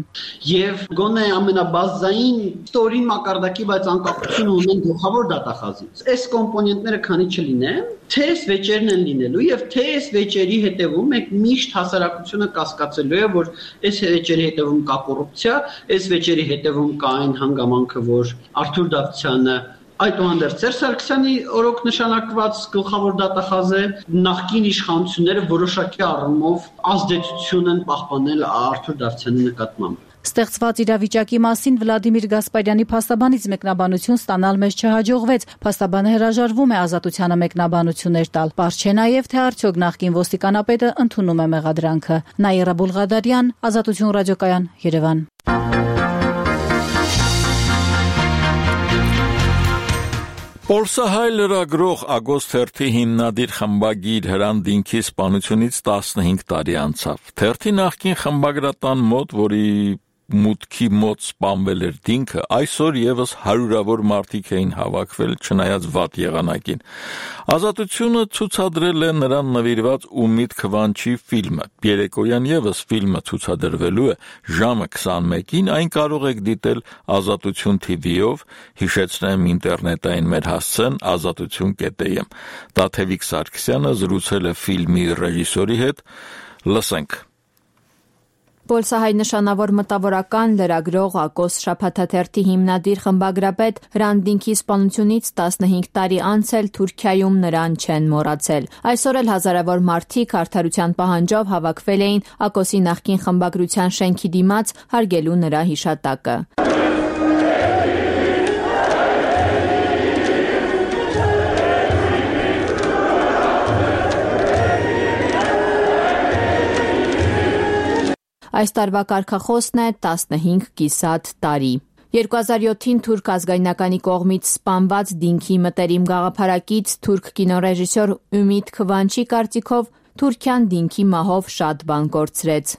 S21: Եվ գոնե ամենաբազային ստորին մակարդակի, բայց անկախություն ունեն գլխավոր դատախազից։ Այս կոմպոնենտները քանի չլինեն, թե այս վեճերն են լինելու եւ թե այս վեճերի հետևում մենք միշտ հասարակությունը կասկածելու է, որ այս վեճերի հետևում կա կոռուպցիա, այս վեճերի հետևում կա այն հանգամանքը, որ Արթուր Դավթյանը այդուհանդերձ Սերժ Սարգսյանի օրոք նշանակված գլխավոր դատախազ է, նախկին իշխանությունները որոշակի առումով ազդեցություն են պահպանել Արթուր Դավթյանի նկատմամբ։
S16: Ստեղծված իրավիճակի մասին Վլադիմիր Գասպարյանի փաստաբանից մեկնաբանություն ստանալ մեզ չհաջողվեց։ Փաստաբանը հրաժարվում է ազատությանը մեկնաբանություններ տալ։ Պարզ չէ նաև, թե արդյոք նախկին ոստիկանապետը ընդունում է մեղադրանքը։ Նաիրա Բուլղադարյան, Ազատություն ռադիոկայան, Երևան։
S1: Պոլսահայ լրագրող Ագոստ Թերթի հիմնադիր խմբագիր Հրան Դինքի սպանությունից 15 տարի անցավ։ Թերթի նախկին խմբագրատան մոտ, որի մուտքի մոտ սպանվել էր Դինքը, այսօր եւս հարյուրավոր մարդիկ էին հավաքվել, չնայած վատ եղանակին։ Ազատությունը ցուցադրել է նրան նվիրված ու միտքվանչի ֆիլմը։ Երեկոյան եւս ֆիլմը ցուցադրվելու է ժամը 21-ին, այն կարող եք դիտել Ազատություն TV-ով, հիշեցնեմ ինտերնետային մեր հասցեն azatutun.am։ Տաթևիկ Սարգսյանը զրուցել է ֆիլմի ռեժիսորի հետ, լսենք։
S3: Պոլսահայ նշանավոր մտավորական լրագրող Ակոս շաբաթաթերթի հիմնադիր խմբագրապետ Հրան Դինքի սպանությունից 15 տարի անց էլ Թուրքիայում նրան չեն մոռացել։ Այսօր էլ հազարավոր մարդիկ արդարության պահանջով հավաքվել էին Ակոսի նախկին խմբագրության շենքի դիմաց հարգելու նրա հիշատակը։ Այս տարվա կարգախոսն է 15 կիսատ տարի։ 2007-ին թուրք ազգայնականի կողմից սպանված Դինքի մտերիմ գաղափարակից թուրք կինոռեժիսոր Ümit Kıvançի կարծիքով Թուրքիան Դինքի մահով շատ բան կորցրեց։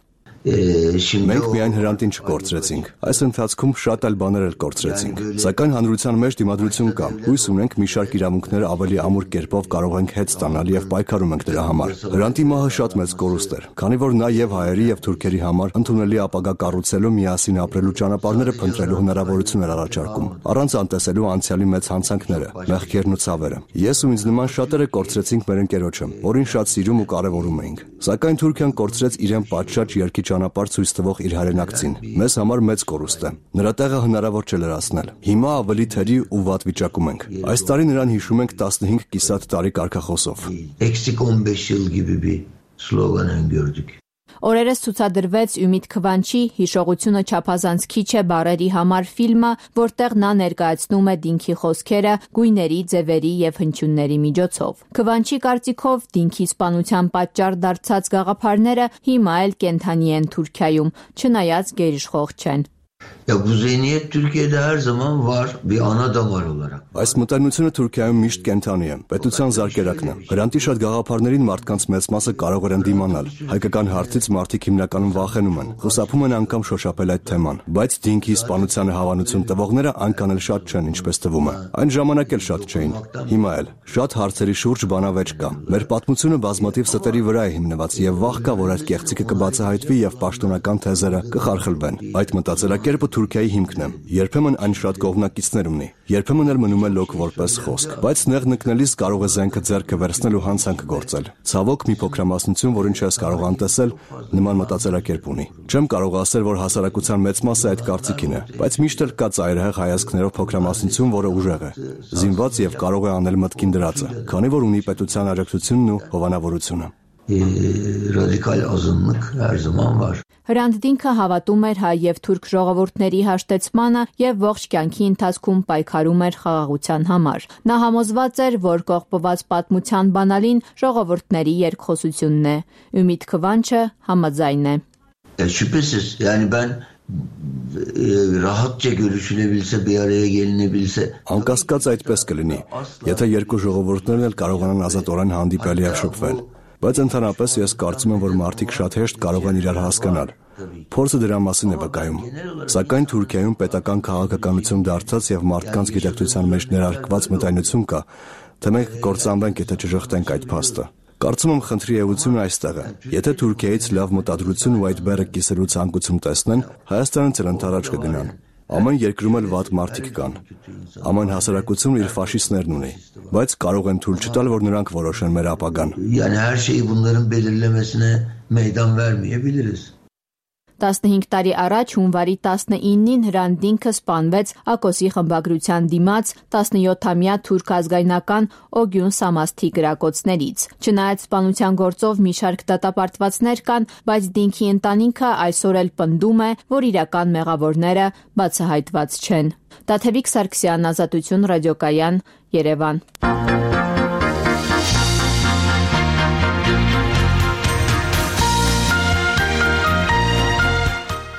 S2: Մենք միայն հրանտին չկորցրեցինք, այս ընթացքում շատ այլ բաներ էլ կորցրեցինք, սակայն հանրության մեջ դիմադրություն կա, հույս ունենք մի շարք իրավունքներ ավելի ամուր կերպով կարող ենք հետ ստանալ եւ պայքարում ենք դրա համար։ Հրանտի մահը շատ մեծ կորուստ էր, քանի որ նա եւ հայերի եւ թուրքերի համար ընդունելի ապագա կառուցելու, միասին ապրելու ճանապարհները փնտրելու հնարավորություն էր առաջարկում, առանց անտեսելու անցյալի մեծ հանցանքները, մեղքերն ու ցավերը։ Ես ու ինձ նման շատերը կորցրեցինք մեր ընկերոջը, որին շատ սիրում ու կարևորում էինք, սակայն Թուրքիան կորցրեց իրեն պատշաճ երկի ճանապարհ ցույց տվող իր հայրենակցին։ Մեզ համար մեծ կորուստ է։ Նրա տեղը հնարավոր չէ լրացնել։ Հիմա ավելի թերի ու վատ վիճակում ենք։ Այս տարի նրան հիշում ենք 15 կիսատ տարի կարգախոսով։
S22: Eksik 15 yıl gibi bir slogan gördük.
S5: Օրերս ցուցադրվեց Ümit Քվանչի հիշողությունը չափազանց քիչ է բառերի համար ֆիլմը, որտեղ նա ներկայացնում է դինքի խոսքերը գույների, ձևերի եւ հնչյունների միջոցով։ Քվանչի կարծիքով դինքի սպանության պատճառ դարձած գաղափարները հիմա էլ կենթանի են Թուրքիայում, չնայած գերիշխող չեն։
S22: Ya bu zihniyet Türkiye'de her zaman var bir ana damar olarak.
S2: Այս մտայնությունը Թուրքիայում միշտ կենթանի է, պետության զարկերակն է։ Հրանտի շատ գաղափարներին մարդկանց մեծ մասը կարող են դիմանալ։ Հայկական հարցից մարդիկ հիմնականում վախենում են, խուսափում են անգամ շոշափել այդ թեման, բայց դինքի սպանությանը հավանություն տվողները այնքան էլ շատ չեն, ինչպես թվում է։ Այն ժամանակ էլ շատ չէին։ Հիմա էլ շատ հարցերի շուրջ բանավեճ կա։ Մեր պատմությունը բազմաթիվ ստերի վրա է հիմնված եւ վախ կա, որ այդ կեղծիքը կբացահայտվի եւ պաշտոնական թեզերը կխարխլվեն։ Այդ մտածելակերպը Թուրքիայի հիմքն է։ Երբեմն այն շատ կողմնակիցներ ունի, երբեմն էլ մնում է լոկ որպես խոսք, բայց նեղ նկնելիս կարող է զենքը ձեռքը վերցնել ու հանցանք գործել։ Ցավոք մի փոքրամասնություն, որին չես կարող անտեսել, նման մտածելակերպ ունի։ Չեմ կարող ասել, որ հասարակության մեծ մասը այդ կարծիքին է, բայց միշտ էլ կա ծայրահեղ հայացքներով փոքրամասնություն, որը ուժեղ է, զինված եւ կարող է անել մտքին դրածը, քանի որ ունի պետության աջակցությունն ու հովանավորությունը։
S22: Radikal azınlık her zaman var.
S5: Հրանտ դինքը հավատում էր հայ եւ թուրք ժողովուրդների հաշտեցմանը եւ ողջ կյանքի ընթացքում պայքարում էր խաղաղության համար։ Նա համոզված էր, որ կողպված պատմության բանալին ժողովուրդների երկխոսությունն է։ Ümit Քվանչը համաձայն է։
S22: Şüphesiz yani ben rahatça görüşülebilse bir araya gelinebilse
S2: Անկասկած այդպես կլինի, եթե երկու ժողովուրդներն էլ կարողանան ազատորեն հանդիպել եւ շփվել։ Բայց ընդհանրապես ես կարծում եմ, որ մարդիկ շատ հեշտ կարող են իրար հասկանալ։ Փորձը դրա մասին է վկայում։ Սակայն Թուրքիայում պետական քաղաքականություն դարձած եւ մարդկանց գիտակցության մեջ ներարկված մտայնություն կա, թե մենք կործանվենք, եթե չժխտենք այդ փաստը։ Կարծում եմ խնդրի էությունը այստեղ է։ Եթե Թուրքիայից լավ մտադրություն ու այդ բեռը կիսելու ցանկություն տեսնեն, Հայաստանից էլ ընդառաջ կգնան։ Ամեն երկրում էլ վատ մարդիկ կան։ Ամեն հասարակություն իր ֆաշիստներն ունի, բայց կարող են թույլ չտալ, որ նրանք որոշեն մեր ապագան։
S22: Yani her şeyi bunların belirlemesine meydan vermeyebiliriz.
S5: 15 տարի առաջ հունվարի 19-ին Հրանտ դինքը սպանվեց Ակոսի խմբագրության դիմաց 17-ամյա թուրք ազգայնական Օգյուն Սամասթի գրակոծներից։ Չնայած սպանության գործով մի շարք դատապարտվածներ կան, բայց դինքի ընտանիքը այսօր էլ պնդում է, որ իրական մեղավորները բացահայտված չեն։ Տաթևիկ Սարգսյան, Ազատություն ռադիոկայան, Երևան։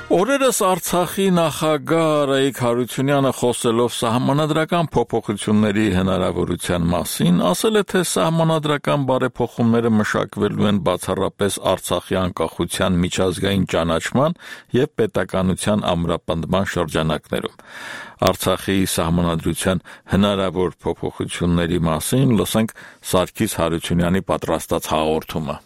S1: Օրերս Արցախի նախագահ Արայիկ Հարությունյանը խոսելով սահմանադրական փոփոխությունների հնարավորության մասին, ասել է, թե սահմանադրական բարեփոխումները մշակվելու են բացառապես Արցախի անկախության միջազգային ճանաչման եւ պետականության ամրապնդման շրջանակներում։ Արցախի սահմանադրության հնարավոր փոփոխությունների մասին լսենք Սարգիս Հարությունյանի պատրաստած հաղորդումը։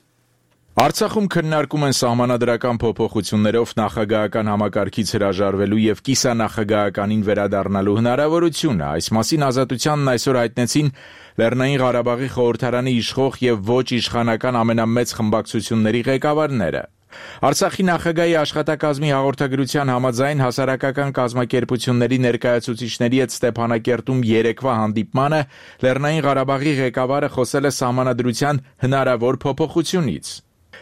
S17: Արցախում քննարկում են սահմանադրական փոփոխություններով նախագահական համակարգից հրաժարվելու եւ կիսանախագահականին վերադառնալու հնարավորությունը։ Այս մասին Ազատությանն այսօր հայտնեցին Լեռնային Ղարաբաղի խորհրդարանի իշխող եւ ոչ իշխանական ամենամեծ խմբակցությունների ղեկավարները։ Արցախի նախագահի աշխատակազմի հաղորդագրության համաձայն հասարակական կազմակերպությունների ներկայացուցիչների հետ Ստեփանակերտում երեկվա հանդիպմանը Լեռնային Ղարաբաղի ղեկավարը խոսել է սահմանադրության հնարավոր փոփոխությունից։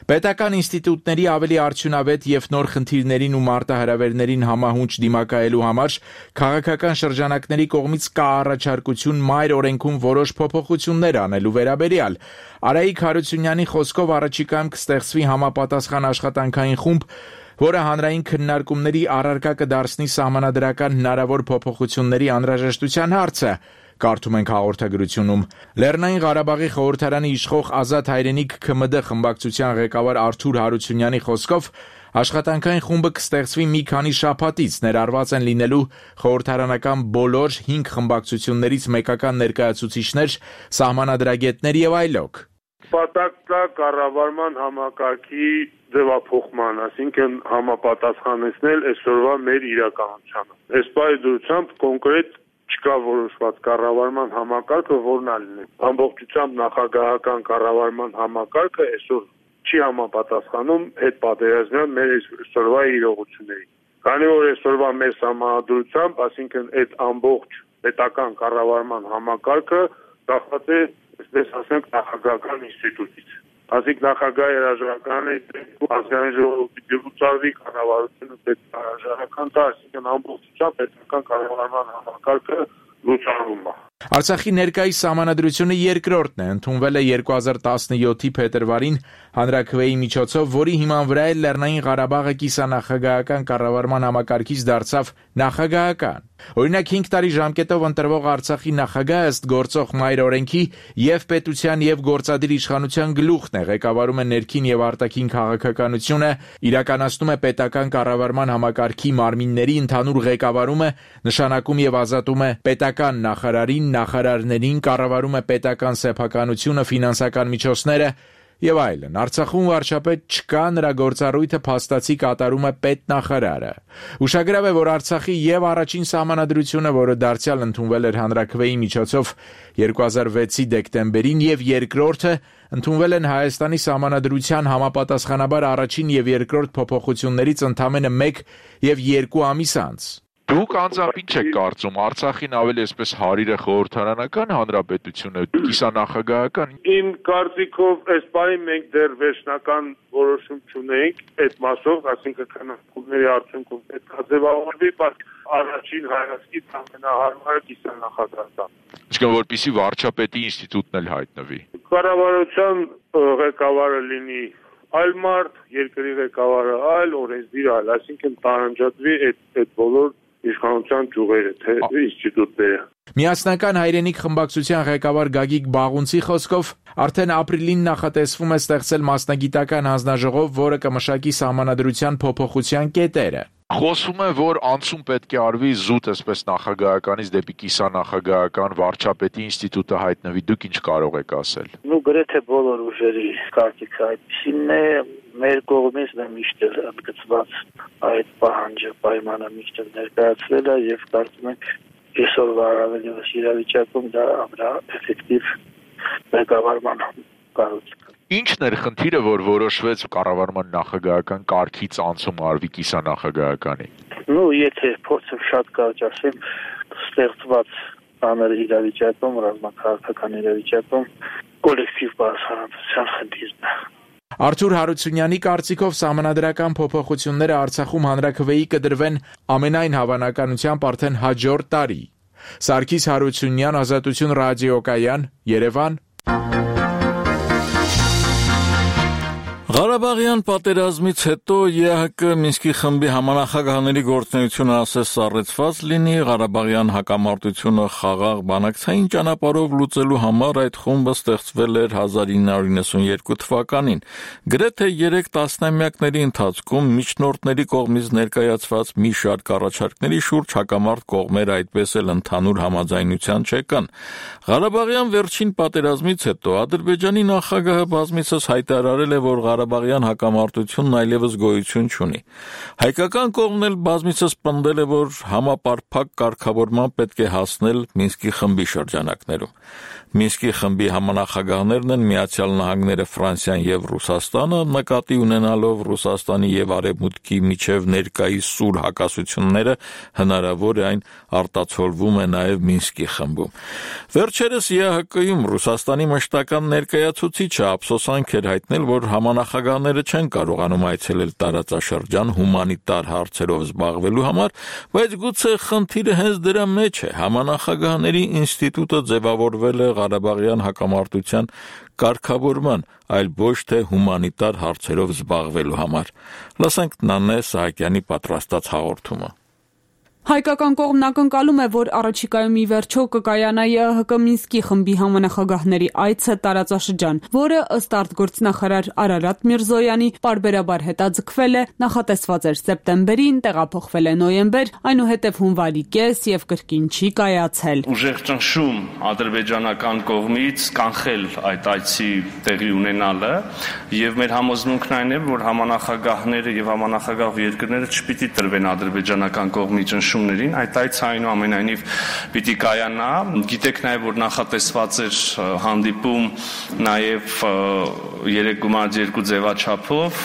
S17: Պետական ինստիտուտների ավելի արդյունավետ եւ նոր խնդիրներին ու մարտահրավերներին համահունչ դիմակայելու համար քաղաքական շրջանակների կողմից կա առաջարկություն մայր օրենքում որոշ փոփոխություններ անելու վերաբերյալ։ Արայիկ Հարությունյանի խոսքով առաջիկայում կստեղծվի համապատասխան աշխատանքային խումբ, որը հանրային քննարկումների առարկա կդարձնի սահմանադրական հնարավոր փոփոխությունների անհրաժեշտության հարցը։ Կարդում ենք հաղորդագրությունում։ Լեռնային Ղարաբաղի խորհրդարանի իշխող Ազատ հայրենիք ՔՄԴ խմբակցության ղեկավար Արթուր Հարությունյանի խոսքով Աշխատանքային խումբը կստեղծվի մի քանի շաբաթից, ներառված են լինելու խորհրդարանական բոլոր 5 խմբակցություններից մեկական ներկայացուցիչներ, սահմանադրագետներ եւ այլոք։
S4: Պատակտա կառավարման համակարգի ձևափոխման, այսինքն համապատասխանեցնել այսօրվա մեր իրականությանը։ Այս պայմանությամբ կոնկրետ չկա որոշված կառավարման համակարգը, որն ալինի։ Ամբողջությամբ նախագահական կառավարման համակարգը այսօր չի համապատասխանում հետ պատերազմյան մեր այսօրվա իրողություններին։ Քանի որ այսօրվա մեր համադրությամբ, այսինքն այդ ամբողջ պետական կառավարման համակարգը կախված է, այսպես ասենք, նախագահական ինստիտուտից։ Այսինքն նախագահի հրաժարականը ազգային ժողովի դիպուտատի կառավարությունը պետք է հրաժարական տա, այսինքն ամբողջությամբ պետական կառավարման համակարգը լուծարվում է։
S17: Արցախի ներկայիս սահմանադրությունը երկրորդն է, ընդունվել է 2017-ի փետրվարին հանրաքվեի միջոցով, որի հիման վրա է Լեռնային Ղարաբաղը կիսանախագահական կառավարման համակարգից դարձավ նախագահական։ Օրինակ 5 տարի ժամկետով ընտրվող Արցախի նախագահը ըստ գործող մայր օրենքի եւ պետության եւ գործադիր իշխանության գլուխն է, ղեկավարում է ներքին եւ արտաքին քաղաքականությունը, իրականացնում է պետական կառավարման համակարգի մարմինների ընդհանուր ղեկավարումը, նշանակում եւ ազատում է պետական նախարարին, նախարարներին, կառավարում է պետական սեփականությունը, ֆինանսական միջոցները եւ այլն։ Արցախում վարչապետ չկա, նրա գործառույթը փաստացի կատարում է պետնախարարը։ Ուշագրավ է, որ Արցախի եւ առաջին սահմանադրությունը, որը դարձյալ ընդունվել էր հանրաքվեի միջոցով 2006-ի դեկտեմբերին, եւ երկրորդը ընդունվել են Հայաստանի սահմանադրության համապատասխանաբար առաջին եւ երկրորդ փոփոխություններից ընդամենը 1 եւ 2 ամիս անց։
S10: Դուք անձամբ ինչ եք կարծում, Արցախին ավելի այսպես հարիրը խորհրդարանական հանրապետությունը, կիսանախագահական։
S4: Իմ կարծիքով այս պահին մենք դեռ վերջնական որոշում չունենք այդ մասով, այսինքն քննարկումների արդյունքում պետք է ձևավորվի, բայց առաջին հայացքից ամենահարմարը կիսանախագահական։
S10: Իսկ որպեսզի վարչապետի ինստիտուտն էլ հայտնվի։
S4: Կառավարության ղեկավարը լինի այլ մարդ, երկրի ղեկավարը այլ, օրենսդիր այլ, այսինքն տարանջատվի այդ բոլոր իշխանության ճյուղերը, թե ինստիտուտները։
S17: Միասնական հայրենիք խմբակցության ղեկավար Գագիկ Բաղունցի խոսքով արդեն ապրիլին նախատեսվում է ստեղծել մասնագիտական հանձնաժողով, որը կմշակի սահմանադրության փոփոխության կետերը։
S10: Խոսվում է, որ անցում պետք է արվի զուտ այսպես նախագահականից դեպի կիսանախագահական վարչապետի ինստիտուտը հայտնվի, դուք ինչ կարող եք ասել։
S18: Գրեթե բոլոր ուժերի կարծիքը այդպիսինն է, մեր կողմից նա միշտ ընդգծված այդ պահանջը, պայմանը միշտ ներկայացվել է եւ կարծում ենք այսօրվա առավելևս իրավիճակում դա ամենաէֆեկտիվ ղեկավարման կառույցը։
S10: Ինչն էր խնդիրը, որ որոշվեց կառավարման նախագահական կարգից անցում արվի կիսանախագահականի։
S18: Եթե փորձեմ շատ կարճ ասեմ, ստեղծված բաներ իրավիճակում, ռազմաքաղաքական իրավիճակում կոլեկտիվ բարձրացան խնդիրն է։
S17: Արթուր Հարությունյանի կարծիքով սահմանադրական փոփոխությունները Արցախում հանրաքվեի կդրվեն ամենայն հավանականությամբ արդեն հաջորդ տարի։ Սարգիս Հարությունյան, Ազատություն ռադիոկայան, Երևան։
S1: Ղարաբաղյան պատերազմից հետո ԵՀԿ Մինսկի խմբի համանախագահների գործունեությունը ասես սառեցված լինի, Ղարաբաղյան հակամարտությունը խաղաղ բանակցային ճանապարհով լուծելու համար այդ խումբը ստեղծվել էր 1992 թվականին։ Գրեթե 3 տասնամյակների ընթացքում միջնորդների կողմից ներկայացված մի շարք առաջարկների շուրջ հակամարտ կողմերը այդպես էլ ընդհանուր համաձայնության չեկան։ Ղարաբաղյան վերջին պատերազմից հետո Ադրբեջանի նախագահը բազմիցս հայտարարել է, որ Ղարաբաղյան հակամարտությունն այլևս գոյություն չունի։ Հայկական կողմն էլ բազմիցս պնդել է, որ համապարփակ կարգավորման պետք է հասնել Մինսկի խմբի շրջանակներում։ Մինսկի խմբի համանախագահներն են Միացյալ Նահանգները, Ֆրանսիան եւ Ռուսաստանը, նկատի ունենալով Ռուսաստանի եւ Արևմուտքի միջև ներկայիս սուր հակասությունները, հնարավոր է այն արտացոլվում է նաեւ Մինսկի խմբում։ Վերջերս ԵՀԿ-ում Ռուսաստանի մշտական ներկայացուցիչը ափսոսանք էր հայտնել, որ համանախագահները չեն կարողանում այցելել տարածաշրջան հումանիտար հարցերով զբաղվելու համար, բայց գուցե խնդիրը հենց դրա մեջ է։ Համանախագահների ինստիտուտը ձևավորվել է Ղարաբաղյան հակամարտության կարգավորման, այլ ոչ թե հումանիտար հարցերով զբաղվելու համար։ Լսենք Նանե Սահակյանի պատրաստած հաղորդումը։
S7: Հայկական կողմն ակնկալում է, որ առաջիկայում ի վերջո կկայանա ԵԱՀԿ Մինսկի խմբի համանախագահների այցը տարածաշրջան, որը ըստ արտգործնախարար Արարատ Միրզոյանի պարբերաբար հետաձգվել է, նախատեսված էր սեպտեմբերին, տեղափոխվել է նոյեմբեր, այնուհետև հունվարի կես եւ կրկին չի կայացել։
S6: Ուժեղ ճնշում ադրբեջանական կողմից կանխել այդ այցի տեղի ունենալը եւ մեր համոզմունքն այն է, որ համանախագահները եւ համանախագահ երկրները չպիտի տրվեն ադրբեջանական կողմի ճնշումներին, այդ այցը այնուամենայնիվ պիտի կայանա։ Գիտեք նաև, որ նախատեսված էր հանդիպում նաև 3+2 ձևաչափով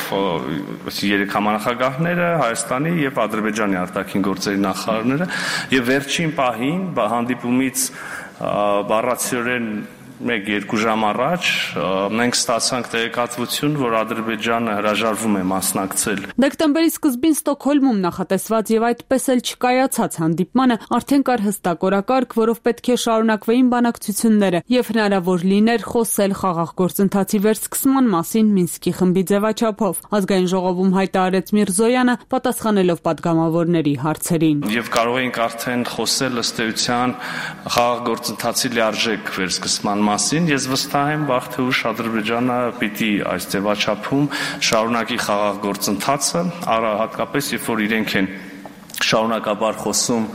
S6: 3 համանախագահները Հայաստանի եւ Ադրբեջանի արտաքին գործերի նախարարները եւ վերջին պահին հանդիպումից բառացիորեն 1-2 ժամ առաջ մենք ստացանք տեղեկատվություն, որ Ադրբեջանը հրաժարվում է մասնակցել։
S7: Դեկտեմբերի սկզբին Ստոկհոլմում նախատեսված եւ այդպես էլ չկայացած հանդիպմանը արդեն կար հստակ օրակարգ, որով պետք է շարունակվեին բանակցությունները եւ հնարավոր լիներ խոսել խաղաղ գործընթացի վերսկսման մասին Մինսկի խմբի ձևաչափով։ Ազգային ժողովում հայտարարեց Միրզոյանը, պատասխանելով պատգամավորների հարցերին։
S6: Եվ կարող էինք արդեն խոսել ըստ էության խաղաղ գործընթացի լիարժեք վերսկսման մասին, ես վստահ եմ, վաղ թե ուշ Ադրբեջանը պիտի այս ձևաչափում շարունակի խաղաղ գործընթացը, հատկապես երբ որ իրենք են շարունակաբար խոսում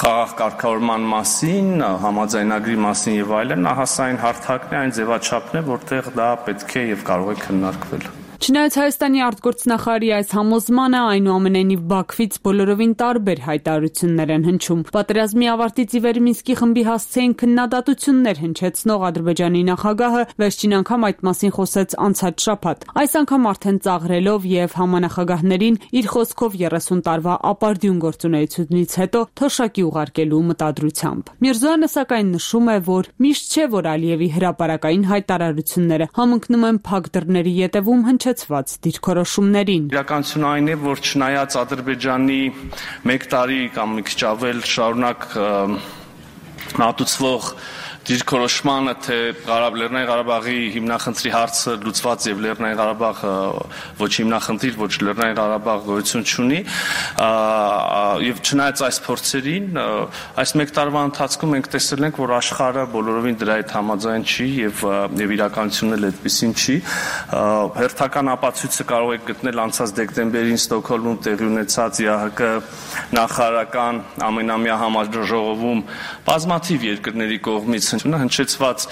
S6: խաղաղ կարգավորման մասին, համաձայնագրի մասին եւ այլն, ահա այն հարթակն է, այն ձևաչափն է, որտեղ դա պետք է եւ կարող է քննարկվել։
S7: Չնայած Հայաստանի արտգործնախարարի այս համոզմանը, այնուամենայնիվ Բաքվից բոլորովին տարբեր հայտարարություններ են հնչում։ Պատերազմի ավարտից ի վեր Մինսկի խմբի հասցեին քննադատություններ հնչեցնող Ադրբեջանի նախագահը վերջին անգամ այդ մասին խոսեց անցած շաբաթ։ Այս անգամ արդեն ծաղրելով եւ համանախագահներին իր խոսքով 30 տարվա ապարդյուն գործունեությունից հետո թոշակի ուղարկելու մտադրությամբ։ Միրզոյանը սակայն նշում է, որ միշտ չէ, որ Ալիևի հրապարակային հայտարարությունները համընկնում են փակ դռների ետևում հնչեցված դիրքորոշումներին։
S6: Իրականությունը այն է, որ չնայած Ադրբեջանի 1 տարի կամ մի քիչ ավել շարունակ մատուցվող դիրքորոշմանը, թե Լեռնային Ղարաբաղի հիմնախնդրի հարցը լուծված եւ Լեռնային Ղարաբաղը ոչ հիմնախնդիր, ոչ Լեռնային Ղարաբաղ գոյություն չունի, եւ չնայած այս փորձերին, այս 1 տարվա ընթացքում մենք տեսել ենք, որ աշխարհը բոլորովին դրա հետ համաձայն չի եւ իրականությունն էլ այդպեսին չի։ Հերթական ապացույցը կարող եք գտնել անցած դեկտեմբերին Ստոկհոլմում տեղի ունեցած ԵԱՀԿ նախարարական ամենամյա համաժողովում բազմաթիվ երկրների կողմից հնչեցված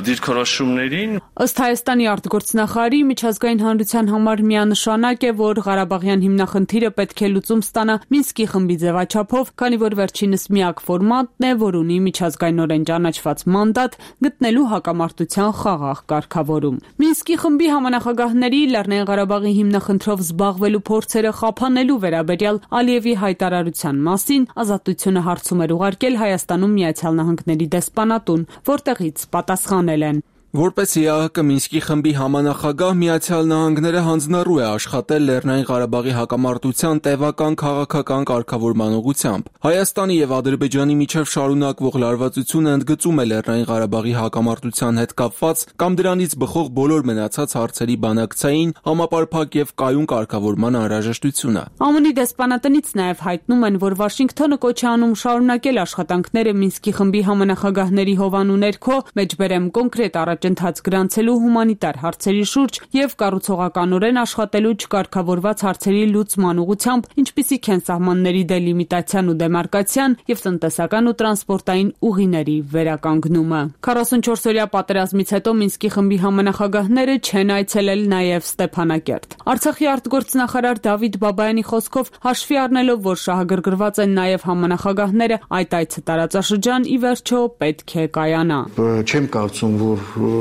S6: դիրքորոշումներին։
S7: Ըստ Հայաստանի արտգործնախարարի, միջազգային հանրության համար միանշանակ է, որ Ղարաբաղյան հիմնախնդիրը պետք է լուծում ստանա Մինսկի խմբի ձևաչափով, քանի որ վերջինս միակ ֆորմատն է, որ ունի միջազգայինորեն ճանաչված մանդատ գտնելու հակամարտության խաղաղ կարգավորում։ Մինսկի խմբի համանախագահների Լեռնային Ղարաբաղի հիմնախնդրով զբաղվելու փորձերը խափանելու վերաբերյալ Ալիևի հայտարարության մասին Ազատությունը հարցում էր ուղարկել Հայաստանում Միացյալ Նահանգների դեսպանատուն, որտեղից պատասխանել են.
S8: Որպես ԵԱՀԿ Մինսկի խմբի համանախագահ Միացյալ Նահանգները հանձնառու է աշխատել Լեռնային Ղարաբաղի հակամարտության տևական քաղաքական կարգավորման ուղղությամբ։ Հայաստանի եւ Ադրբեջանի միջև շարունակվող լարվածությունը ընդգծում է Լեռնային Ղարաբաղի հակամարտության հետ կապված կամ դրանից բխող բոլոր մնացած հարցերի բանակցային, համապարփակ եւ կայուն կարգավորման անհրաժեշտությունը։
S7: ԱՄՆ-ի դեսպանատնից նաեւ հայտնում են, որ Վաշինգտոնը կոչ է անում շարունակել աշխատանքները Մինսկի խմբի համանախագահների հովանու ներքո, մեջբերեմ կոնկրետ ընթաց գրանցելու հումանիտար հարցերի շուրջ եւ կառուցողականորեն աշխատելու չկարգավորված հարցերի լուծման ուղղությամբ, ինչպիսիք են սահմանների դելիմիտացիան ու դեմարկացիան եւ տնտեսական ու տրանսպորտային ուղիների վերականգնումը։ 44-օրյա պատերազմից հետո Մինսկի խմբի համանախագահները չեն այցելել նաեւ Ստեփանակերտ։ Արցախի արտգործնախարար Դավիթ Բաբայանի խոսքով, հաշվի առնելով, որ շահագրգռված են նաեւ համանախագահները, այդ այցը տարածաշրջան ի վերջո պետք է կայանա։
S23: Չեմ կարծում, որ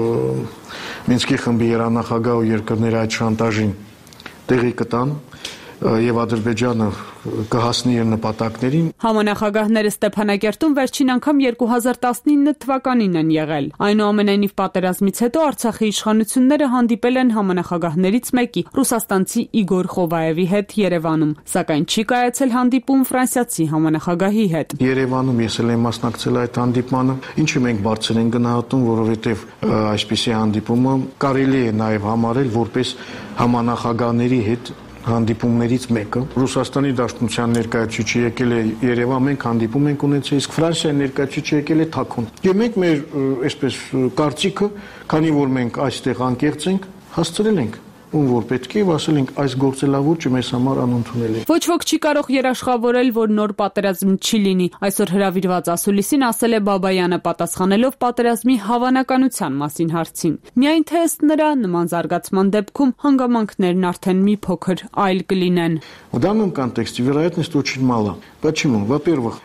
S23: Մինսկի խմբի երանախագահ ու երկրների այդ շանտաժին տեղի կտան եւ Ադրբեջանը կհասնի իր նպատակներին։
S7: Համանախագահները Ստեփանակերտում վերջին անգամ 2019 թվականին են եղել։ Այնուամենայնիվ պատերազմից հետո Արցախի իշխանությունները հանդիպել են համանախագահներից մեկի՝ ռուսաստանցի Իգոր Խովայևի հետ Երևանում, սակայն չի կայացել հանդիպում ֆրանսիացի համանախագահի հետ։
S23: Երևանում ես էլ եմ մասնակցել այդ հանդիպմանը, ինչը մենք բարձր ենք գնահատում, որովհետեւ այսպիսի հանդիպումը կարելի է նաեւ համարել որպես համանախագահների հետ հանդիպումներից մեկը։ Ռուսաստանի Դաշնության ներկայացուցիչը եկել է Երևան, մենք հանդիպում ենք ունեցել, իսկ Ֆրանսիայի ներկայացուցիչը եկել է Թաքուն։ Եվ մենք մեր այսպես կարծիքը, քանի որ մենք այստեղ անկեղծ ենք, հասցրել ենք ում որ պետք է ասել ենք այս գործելավուճը մեզ համար անընդունել է։
S7: Ոչ ոք չի կարող երաշխավորել, որ նոր պատերազմ չի լինի։ Այսօր հրավիրված ասուլիսին ասել է Բաբայանը, պատասխանելով պատերազմի հավանականության մասին հարցին։ Միայն թե ըստ նրա նման զարգացման դեպքում հանգամանքներն արդեն մի փոքր այլ կլինեն։
S23: В данном контексте вероятность очень мала. Почему? Во-первых,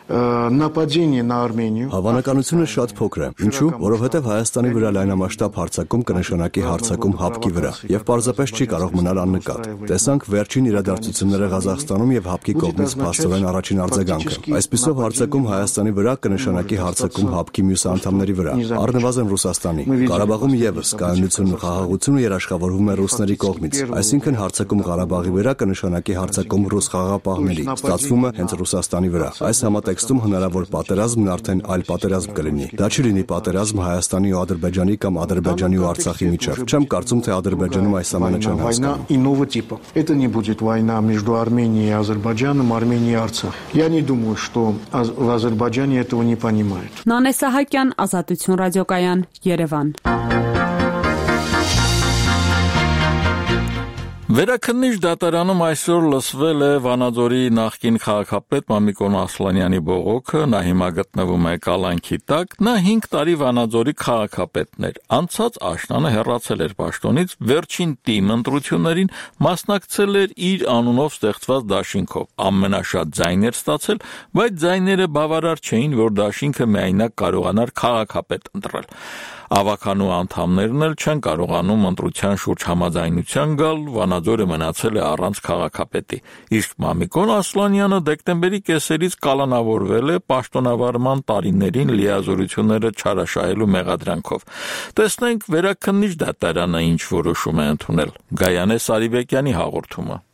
S23: нападение на Армению.
S2: Հավանականությունը շատ փոքր է։ Ինչու՞? Որովհետև Հայաստանի վրա լայնամասշտաբ հարձակում կնշանակի հարձակում ՀԱՊԿ-ի վրա, եւ պարզապես չի կարող մնալ աննկատ։ Տեսանք վերջին իրադարձությունները Ղազախստանում եւ ՀԱՊԿ-ի կողմից փաստորեն առաջին արձագանքը։ Այսպիսով հարձակում Հայաստանի վրա կնշանակի հարձակում ՀԱՊԿ-ի մյուս անդամների վրա, առնվազն Ռուսաստանի։ Ղարաբաղում եւս կայունությունն ու խաղաղությունը երաշխավորվում է ռուսների կողմից, այսինքն հարձակում Ղարաբաղի վրա կնշանակի հարձակում ռուս խաղաղապահների, ստացվում է հենց Ռուսաստանի վրա։ Այս համատեքստում հնարավոր պատերազմն արդեն այլ պատերազմ կլինի։ Դա չի լինի պատերազմ Հայաստանի ու Ադրբեջանի կամ Ադրբեջանի ու Արցախի միջև։ Չեմ կարծում, թե Ադրբեջանում այս ամենը չեն
S23: война иного типа. Это не будет война между Арменией и Азербайджаном, Арменией и Арцах. Я не думаю, что в Азербайджане этого не понимают.
S7: Նանե Սահակյան, Ազատություն ռադիոկայան, Երևան։
S1: Վերաքննիչ դատարանում այսօր լսվել է Վանաձորի նախկին քաղաքապետ Մամիկոն Ասլանյանի բողոքը, նա հիմա գտնվում է կալանքի տակ, նա 5 տարի Վանաձորի քաղաքապետն էր, անցած աշնանը հեռացել էր պաշտոնից, վերջին ՏԻՄ ընտրություններին մասնակցել էր իր անունով ստեղծված դաշինքով, ամենաշատ ձայն էր ստացել, բայց ձայները բավարար չէին, որ դաշինքը միայնակ կարողանար քաղաքապետ ընտրել։ Ավականու անդամներն էլ չեն կարողանում ընտրության շուրջ համաձայնության գալ, Վանաձորը մնացել է առանց քաղաքապետի։ Իսկ Մամիկոն Ասլանյանը դեկտեմբերի կեսերից կալանավորվել է պաշտոնավարման տարիներին լիազորությունները չարաշահելու մեղադրանքով։ Տեսնենք վերաքննիչ դատարանը ինչ որոշում է ընդունել։ Գայանե Սարիբեկյանի հաղորդումը։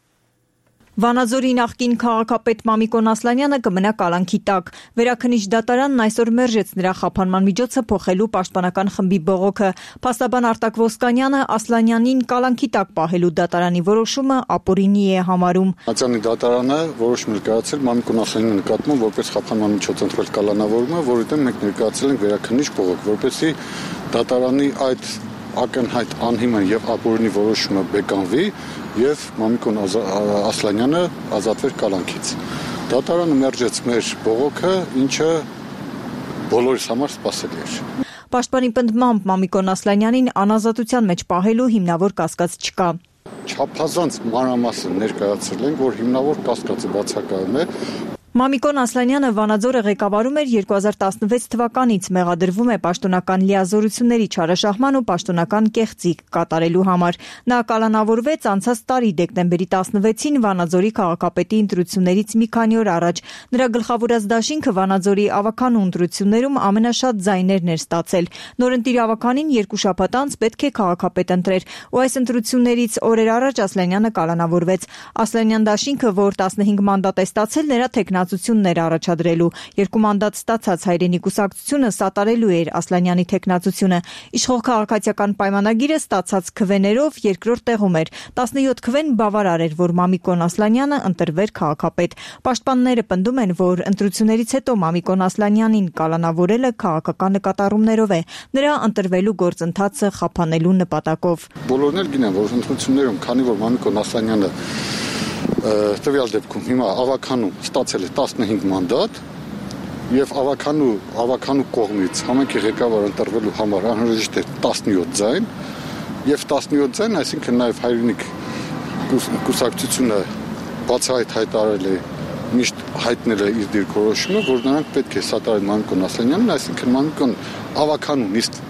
S5: Վանաձորի նախկին քաղաքապետ Մամիկոն Ասլանյանը կմնա կալանքի տակ։ Վերաքննիչ դատարանն այսօր մերժեց նրա խափանման միջոցը փոխելու պաշտպանական խմբի բողոքը։ Փաստաբան Արտակ Ոսկանյանը Ասլանյանին կալանքի տակ պահելու դատարանի որոշումը ապօրինի է համարում։
S9: Ատյանի դատարանը որոշում է կայացրել Մամիկոն Ասլանյանի նկատմամբ որպես խափանման միջոց ընտրել կալանավորումը, որի դեմ մենք ներկայացրել ենք վերաքննիչ բողոք, որպեսզի դատարանի այդ ակնհայտ անհիմն եւ ապօրինի որոշումը բեկանվի եւ Մամիկոն Ասլանյանը ազատվեր կալանքից։ Դատարանը մերժեց մեր բողոքը, ինչը բոլորիս համար սպասելի էր։
S5: Պաշտպանի պնդմամբ Մամիկոն Ասլանյանին անազատության մեջ պահելու հիմնավոր կասկած չկա։
S9: Չափազանց մանրամասն ներկայացրել ենք, որ հիմնավոր կասկածը բացակայում է։
S5: Մամիկոն Ասլանյանը Վանաձորը ղեկավարում էր 2016 թվականից, մեղադրվում է պաշտոնական լիազորությունների չարաշահման ու պաշտոնական կեղծիք կատարելու համար։ Նա կալանավորվեց անցած տարի դեկտեմբերի 16-ին Վանաձորի քաղաքապետի ընտրություններից մի քանի օր առաջ։ Նրա գլխավորած դաշինքը Վանաձորի ավականու ընտրություններում ամենաշատ ձայներն էր ստացել։ Նորընտիր ավականին 2 շաբաթ անց պետք է քաղաքապետ ընտրեր, ու այս ընտրություններից օրեր առաջ Ասլանյանը կալանավորվեց։ Ասլանյան դաշինքը, որ 15 մանդատ է ստացել, նրա թեկնածություններ առաջադրելու 2 մանդատ ստացած հայրենի կուսակցությունը սատարելու էր Ասլանյանի թեկնածությունը։ Իշխող քաղաքացիական պայմանագիրը ստացած քվեներով երկրորդ տեղում էր։ 17 քվեն բավարար էր, որ Մամիկոն Ասլանյանը ընտրվեր քաղաքապետ։ Պաշտպանները պնդում են, որ ընտրություններից հետո Մամիկոն Ասլանյանին կալանավորելը քաղաքական նկատառումներով է, նրա ընտրվելու գործընթացը խափանելու նպատակով։
S9: Բոլորն էլ գիտեն, որ ընտրություններում, քանի որ Մամիկոն Ասլանյանը տվյալ դեպքում հիմա ավականու ստացել է 15 մանդատ եւ ավականու կողմից համայնքի ղեկավար ընտրվելու համար անհրաժեշտ է 17 ձայն եւ 17 ձայն, այսինքն նաեւ հայրենիք կուսակցությունը բացահայտ հայտարարել է, միշտ հայտնել է իր դիրքորոշումը, որ նրանք պետք է սատարեն Մամիկոն Ասլանյանին, այսինքն Մամիկոն ավականու նիստ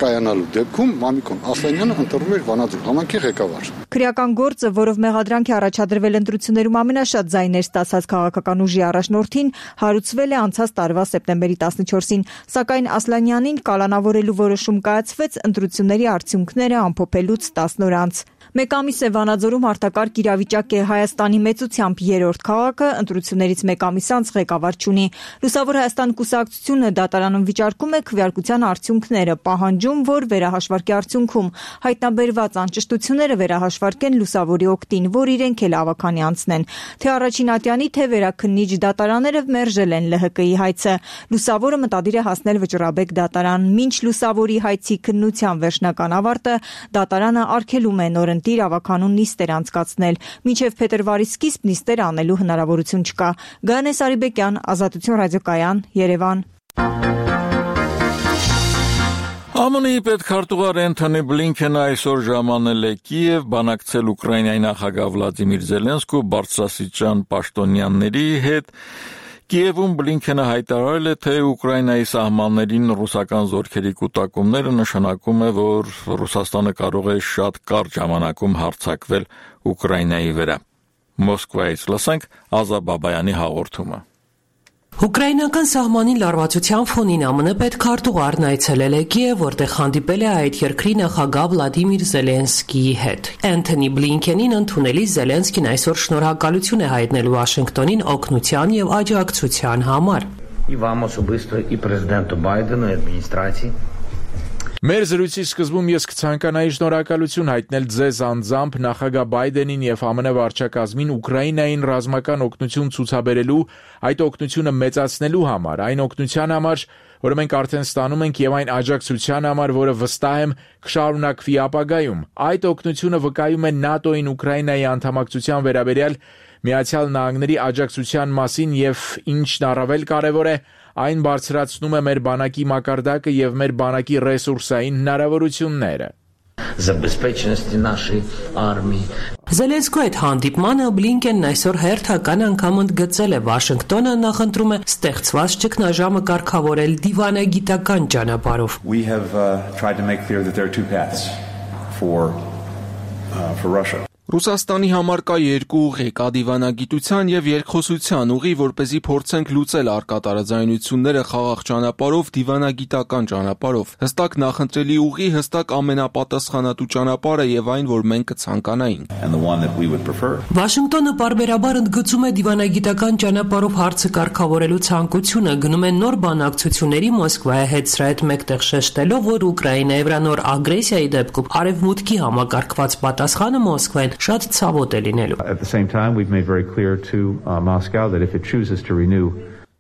S9: կայանալու դեպքում Մամիկոն Ասլանյանը ընտրվում էր Վանաձոր համայնքի ղեկավար։
S5: Քրեական գործը, որով մեղադրանք է առաջադրվել ընտրություններում ամենաշատ ձայներ ստացած քաղաքական ուժի առաջնորդին, հարուցվել է անցած տարվա սեպտեմբերի 14-ին, սակայն Ասլանյանին կալանավորելու որոշում կայացվեց ընտրությունների արդյունքները ամփոփելուց 10 օր անց։ Մեկ ամիս է Վանաձորում արտակարգ իրավիճակ է, Հայաստանի մեծությամբ երրորդ քաղաքը ընտրություններից մեկ ամիս անց ղեկավար չունի։ Լուսավոր Հայաստան կուսակցությունը դատարանում վիճարկում է քվեարկության արդյունքները, պահանջում, որ վերահաշվարկի արդյունքում հայտնաբերված անճշտությունները վերահաշվի
S12: հաշվարկեն լուսավորի օգտին, որ իրենք էլ ավաքանի անցնեն։ Թե առաջին ատյանի, թե վերաքննիչ դատարանները մերժել են ԼՀԿ-ի հայցը։ Լուսավորը մտադիր է հասնել Վճռաբեկ դատարան։ Մինչ լուսավորի հայցի քննության վերջնական ավարտը, դատարանը արգելում է նորընտիր ավականուն նիստեր անցկացնել։ Մինչև փետրվարի սկիզբ նիստեր անելու հնարավորություն չկա։ Գայանե Սարիբեկյան, Ազատություն ռադիոկայան, Երևան։
S1: ԱՄՆ-ի պետքարտուղար Էնթոնի Բլինքենը այսօր ժամանել է Կիև բանակցել Ուկրաինայի նախագահ Վլադիմիր Զելենսկու բարձրաստիճան պաշտոնյաների հետ։ Կիևում Բլինքենը հայտարարել է, թե Ուկրաինայի սահմաններին ռուսական զորքերի կուտակումները նշանակում է, որ Ռուսաստանը կարող է շատ կարճ ժամանակում հարձակվել Ուկրաինայի վրա։ Մոսկվայից լսենք Ազա Բաբայանի հաղորդումը։
S13: Ուկրաինական սահմանին լարվածության ֆոնին ԱՄՆ պետքարտուղարն այցելել է Կիև, որտեղ հանդիպել է այդ երկրի նախագահ Վլադիմիր Զելենսկիի հետ։ Էնթոնի Բլինքենին ընդունելի Զելենսկին այսօր շնորհակալություն է հայտնել Վաշինգտոնին օգնության եւ աջակցության համար։
S14: І вам особисто, і президенту Байдену, і адміністрації.
S17: Մեր զրույցի սկզբում ես կցանկանայի շնորհակալություն հայտնել ձեզ անձամբ նախագահ Բայդենին եւ ԱՄՆ վարչակազմին Ուկրաինային ռազմական օգնություն ցուցաբերելու, այդ օգնությունը մեծացնելու համար, այն օգնության համար, որը մենք արդեն ստանում ենք եւ այն աջակցության համար, որը վստահ եմ կշարունակվի ապագայում։ Այդ օգնությունը վկայում է ՆԱՏՕ-ին Ուկրաինայի անդամակցության վերաբերյալ Միացյալ Նահանգների աջակցության մասին եւ ինչն առավել կարեւոր է, այն բարձրացնում է մեր բանակի մակարդակը եւ մեր բանակի ռեսուրսային հնարավորությունները։
S14: Забезпеченості нашої армії.
S13: Զելենսկու այդ հանդիպմանը Բլինքենն այսօր հերթական անգամ ընդգծել է Վաշինգտոնը նախընտրում է ստեղծված ճգնաժամը կարգավորել դիվանագիտական ճանապարհով։
S24: We have tried to make clear that there are two paths for Russia.
S8: Ռուսաստանի համար կա երկու ուղի՝ կա դիվանագիտության եւ երկխոսության ուղի, որպեսզի փորձենք լուծել առկա տարաձայնությունները խաղաղ ճանապարհով, դիվանագիտական ճանապարհով։ Հստակ նախընտրելի ուղի, հստակ ամենապատասխանատու ճանապարհը եւ այն, որ մենք կցանկանայինք։
S13: Վաշինգտոնը պարբերաբար ընդգծում է դիվանագիտական ճանապարհով հարցը կարգավորելու ցանկությունը, գնում է նոր բանակցությունների Մոսկվայի հետ սրա հետ մեկտեղ շեշտելով, որ Ուկրաինայի վրա նոր ագրեսիայի դեպքում արևմուտքի համակարգված պատասխանը Մոսկվային շատ ցավոտ է լինելու։
S24: At the same time, we've made very clear to Moscow that if it chooses to renew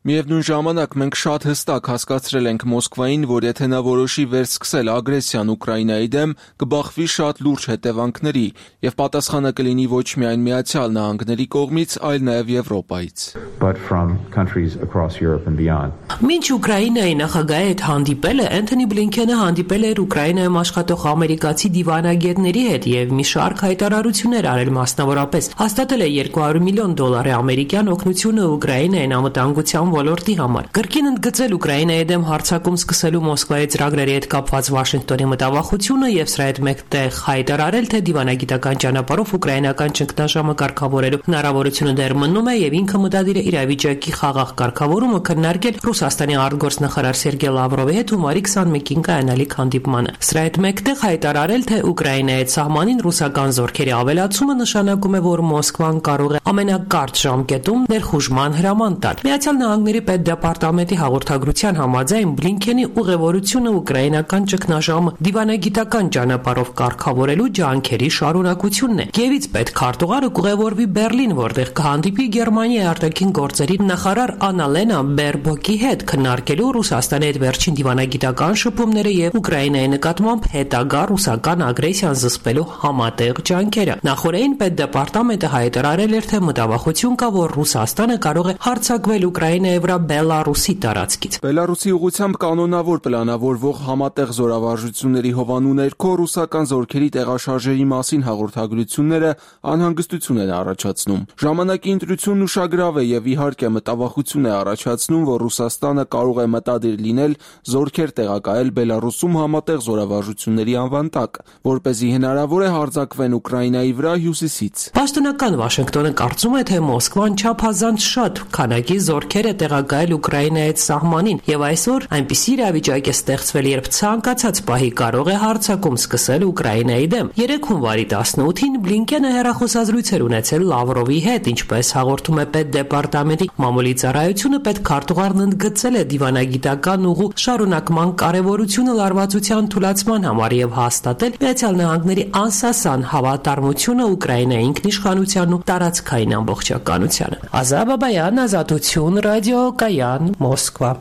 S8: Միևնույն ժամանակ մենք շատ հստակ հասկացրել ենք Մոսկվային, որ եթե նա որոշի վերսկսել ագրեսիան Ուկրաինայի դեմ, կբախվի շատ լուրջ հետևանքների եւ պատասխանը կլինի ոչ միայն Միացյալ Նահանգների կողմից, այլ նաեւ Եվրոպայից։
S24: But from countries across Europe and beyond.
S13: Մինչ Ուկրաինայի նախագահի հետ հանդիպելը Էնթոնի Բլինքենը հանդիպել էր Ուկրաինայում աշխատող ամերիկացի դիվանագետների հետ եւ մի շարք հայտարարություններ արել, մասնավորապես հաստատել է $200 միլիոն ամերիկյան օգնությունը Ուկրաինային անվտանգության ոլորտի համար։ Կրկին ընդգծել Ուկրաինայի դեմ հարձակում սկսելու Մոսկվայի ծրագրերի հետ կապված Վաշինգտոնի մտավախությունը եւ սրա հետ մեկտեղ հայտարարել, թե դիվանագիտական ճանապարհով ուկրաինական ճգնաժամը կարգավորելու հնարավորությունը դեռ մնում է եւ ինքը մտադիր է իրավիճակի խաղաղ կարգավորումը քննարկել Ռուսաստանի արտգործնախարար Սերգեյ Լավրովի հետ հունվարի 21-ին կայանալիք հանդիպմանը։ Սրա հետ մեկտեղ հայտարարել, թե Ուկրաինայի սահմանին ռուսական զորքերի ավելացումը նշանակում է, որ Մոսկվան կարող է ամենակարճ ժամկետում ներխուժման հրաման տալ։ Միացյալ Նահանգների պետդեպարտամենտի հաղորդագրության համաձայն Բլինքենի ուղևորությունը ուկրաինական ճգնաժամը դիվանագիտական ճանապարհով կարգավորելու ջանքերի շարունակությունն է։ Կիևից պետքարտուղարը կուղևորվի Բերլին, որտեղ կհանդիպի Գերմանիայի արտաքին գործերի նախարար Աննալենա Բերբոկի հետ քննարկելու Ռուսաստանի հետ վերջին դիվանագիտական շփումները եւ Ուկրաինայի նկատմամբ հետագա ռուսական ագրեսիան զսպելու համատեղ ջանքերը։ Նախորդին պետդեպարտամենտը հայտարարել էր, թե մտավախություն կա, որ Ռուսաստանը կարող է հարձակվել Ուկրաինայի վրա Բելարուսի տարածքից։
S8: Բելարուսի ուղղությամբ կանոնավոր պլանավորվող համատեղ զորավարժությունների հովանու ներքո ռուսական զորքերի տեղաշարժերի մասին հաղորդագրությունները անհանգստություն են առաջացնում։ Ժամանակի ընտրությունն ուշագրավ է եւ իհարկե մտավախություն է առաջացնում, որ Ռուսաստանը կարող է մտադիր լինել զորքեր տեղակայել Բելարուսում համատեղ զորավարժությունների անվան տակ, որպեսզի հնարավոր է հարձակվեն Ուկրաինայի վրա հյուսիսից։
S13: Պաշտոնական Վաշինգտոնը կարծում է, թե Մոսկվան չափազանց շատ քանակի զորքեր է տեղակայել Ուկրաինայի հետ սահմանին, եւ այսօր այնպիսի իրավիճակ է ստեղծվել, երբ ցանկացած պահի կարող է հարձակում սկսել Ուկրաինայի դեմ։ 3 հունվարի 18-ին Բլինկենը հեռախոսազրույց էր ունեցել Լավրովի հետ, ինչպես հաղորդում է Պետդեպարտամենտի մամուլի ծառայությունը, պետքարտուղարն ընդգծել է դիվանագիտական ուղու շարունակման կարևորությունը լարվածության թուլացման համար եւ հաստատել Միացյալ Նահանգների անսասան հավատարմությունը Ուկրաինայի ինքնիշխանությանն ու տարածքային ամբողջականությանը։ Ազա Բաբայան, Ազատություն, ռադիո Կայան, Մոսկվա։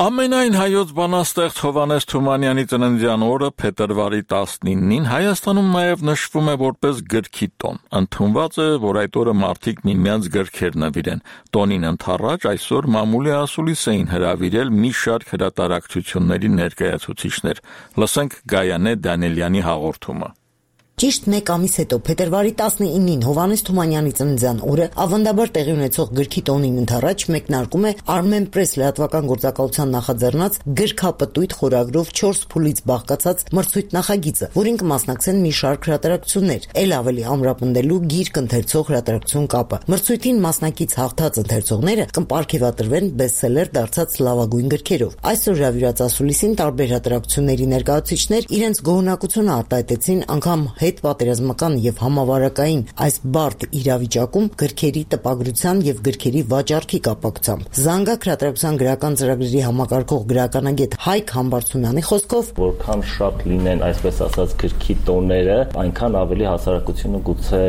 S1: Ամենայն հայոց բանաստեղծ Հովհաննես Թումանյանի ծննդյան օրը փետրվարի 19-ին Հայաստանում նաև նշվում է որպես գրքի տոն։ Ընդունված է, որ այդ օրը մարդիկ միմյանց գրքեր նվիրեն։ Տոնին ընդառաջ այսօր մամուլի ասուլիս էին հրավիրել մի շարք հրատարակչությունների ներկայացուցիչներ։ Լսենք Գայանե Դանիելյանի հաղորդումը։
S11: Ճիշտ 1 ամիս հետո փետրվարի 19-ին Հովհաննես Թումանյանի ծննդյան օրը ավանդաբար տեղի ունեցող գրքի տոնին ընդառաջ մեկնարկում է Armen Press լրատվական գործակալության նախաձեռնած գրքապտույտ խորագրով 4 փուլից բաղկացած մրցույթ նախագիծը, որին կմասնակցեն մի շարք հրատարակություններ, ել ավելի ամրապնդելու գիրք ընթերցող հրատարակություն կապը։ Մրցույթին մասնակից հաղթած ընթերցողները կպարգևատրվեն բեսթսելեր դարձած լավագույն գրքերով։ Այսօր հրավիրած ասուլիսին տարբեր հրատարակությունների ներկայացուցիչներ իրենց գոհունակությունը արտահայտեցին անգամ հետպատերազմական եւ համավարակային այս բարդ իրավիճակում գրքերի տպագրության եւ գրքերի վաճառքի կապակցությամբ։ Զանգակ հրատարակության գրական ծրագրերի համակարգող գրականագետ Հայկ Համբարձումյանի խոսքով,
S15: որքան շատ լինեն այսպես ասած գրքի տոները, այնքան ավելի հասարակությունը գուցե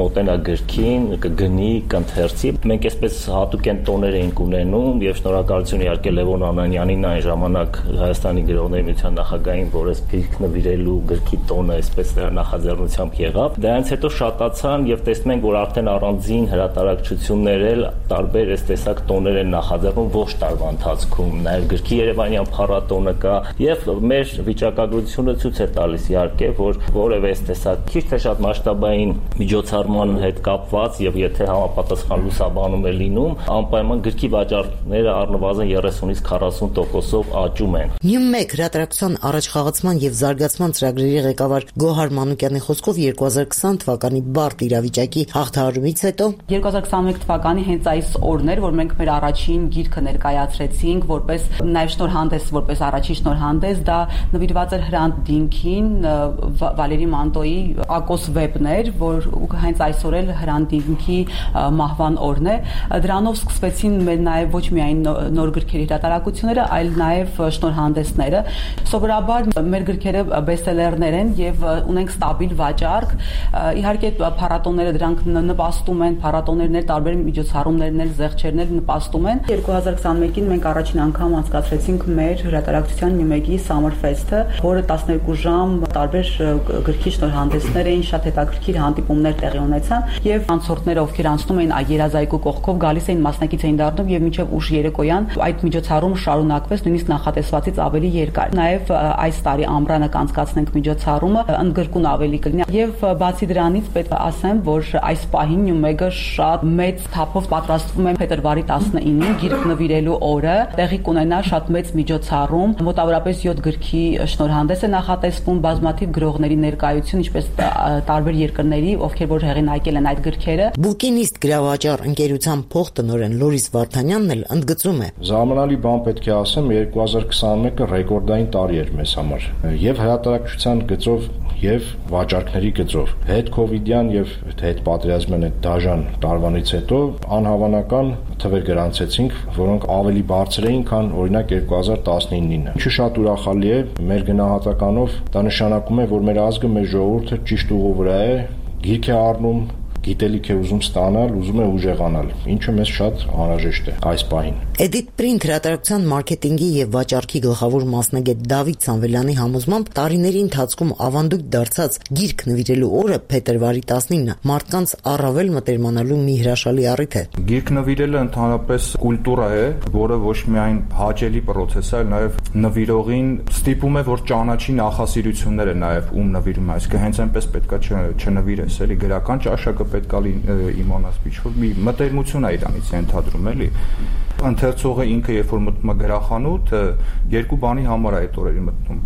S15: մոտենա գրքին, կգնի, կընթերցի։ Մենք այսպես հատուկեն տոներ էինք ունենում եւ շնորհակալություն իհարկե Լևոն Անանյանին այն ժամանակ Հայաստանի գրողների միության նախագահային, որ այս գրք նվիրելու գրքի տոնը այսպես նախաձեռնությամբ եղավ։ Դրանից հետո շատացան եւ տեսնում ենք, որ արդեն առանձին հրատարակչություններ էլ տարբեր այս տեսակ տոներ են նախաձեռնում ոչ տարվա ընթացքում։ Նաեւ գրքի Երևանյան փառատոնը կա եւ մեր վիճակագրությունը ցույց է տալիս իհարկե, որ որևէ այս տեսակ քիչ թե շատ մասշտաբային միջոցառման հետ կապված եւ եթե համապատասխան լուսաբանում է լինում, անպայման գրքի վաճառքները առնվազն 30-ից 40%-ով աճում են։
S11: Նյում-1 հրատարակության առաջխաղացման եւ զարգացման ծրագրերի ղեկավար Գոհար Մանուկյանի խոսքով 2020 թվականի բարդ իրավիճակի հաղթահարումից հետո
S19: 2021 թվականի հենց այս օրն էր, որ մենք մեր առաջին գիրքը ներկայացրեցինք որպես նաև շնորհանդես, որպես առաջին շնորհանդես, դա նվիրված էր Հրանտ Դինքին, Վալերի Մանտոյի Ակոս վեպն էր, որ հենց այսօր էլ Հրանտ Դինքի մահվան օրն է։ Դրանով սկսվեցին մեր նաև ոչ միայն նոր գրքերի հրատարակությունները, այլ նաև շնորհանդեսները։ Սովորաբար մեր գրքերը բեսթսելերներ են եւ ունենք ստաբիլ վաճառք։ Իհարկե փառատոները դրանք նպաստում են, փառատոներն էլ տարբեր միջոցառումներն էլ զեղչերն էլ նպաստում են։ 2021-ին մենք առաջին անգամ անցկացրեցինք մեր հրատարակչության նյումեկի Summer Fest-ը, որը 12 ժամ տարբեր գրքի շնորհանդեսներ էին, շատ հետաքրքիր հանդիպումներ տեղի ունեցան եւ անցորդները, ովքեր անցնում էին երազայգու կողքով, գալիս էին մասնակից էին դառնում եւ մինչեւ ուշ երեկոյան այդ միջոցառումը շարունակվեց, նույնիսկ նախատեսվածից ավելի երկար։ Նաեւ այս տարի ամռանը կանցկացնենք միջոցառումը, ընդգրկուն ավելի կլինի եւ բացի դրանից պետք է ասեմ, որ այս պահին նյումեգը շատ մեծ թափով պատրաստվում է փետրվարի 19-ին գիրք նվիրելու օրը, տեղի կունենա շատ մեծ միջոցառում, մոտավորապես 7 գրքի շնորհանդես է նախատեսվում, բազմաթիվ գրողների ներկայություն, ինչպես տարբեր երկրների, ովքեր որ հեղինակել են այդ գրքերը։
S11: Բուկինիստ գրավաճառ ընկերության փոխտնօրեն Լորիս Վարդանյանն էլ ընդգծում է.
S23: Զարմանալի բան պետք է ասեմ, 2021-ը ռեկորդային տարի էր մեզ համար եւ հրատարակչության գծով եւ վաճառքների գծով հետ-կովիդյան եւ հետ-պատերազմյան այդ դաժան տարվանից հետո անհավանական թվեր գրանցեցինք, որոնք ավելի բարձր էին, քան օրինակ 2019-ին։ Ինչու շատ ուրախալի է, մեր գնահատականով դա նշանակում է, որ մեր ազգը, մեր ժողովուրդը ճիշտ ուղու վրա է, գիրք է առնում, գիտելիք է ուզում ստանալ, ուզում է ուժեղանալ, ինչը մեզ շատ անհրաժեշտ է այս պահին։
S11: Edit Print հրատարակության մարքեթինգի եւ վաճառքի գլխավոր մասնագետ Դավիթ Սամվելյանի համոզմամբ տարիների ընթացքում ավանդույթ դարձած գիրք նվիրելու օրը փետրվարի 19-ը մարդկանց առավել մտերմանալու մի հրաշալի առիթ է։
S20: Գիրք նվիրելը ընդհանրապես կուլտուրա է, որը ոչ միայն հաճելի process է, այլ նաեւ նվիրողին ստիպում է, որ ճանաչի նախասիրությունները նաեւ ում նվիրում է, այսինքն հենց այնպես պետքա չնվիրես, էլի գրական ճաշակը պետք է իմանաս ինչ-որ մի մտերմություն է իրանից ենթադրում, էլի։ Ընթերցողը ինքը երբ որ մտնում է գրախանութ, երկու բանի համար է այդ օրերի մտնում։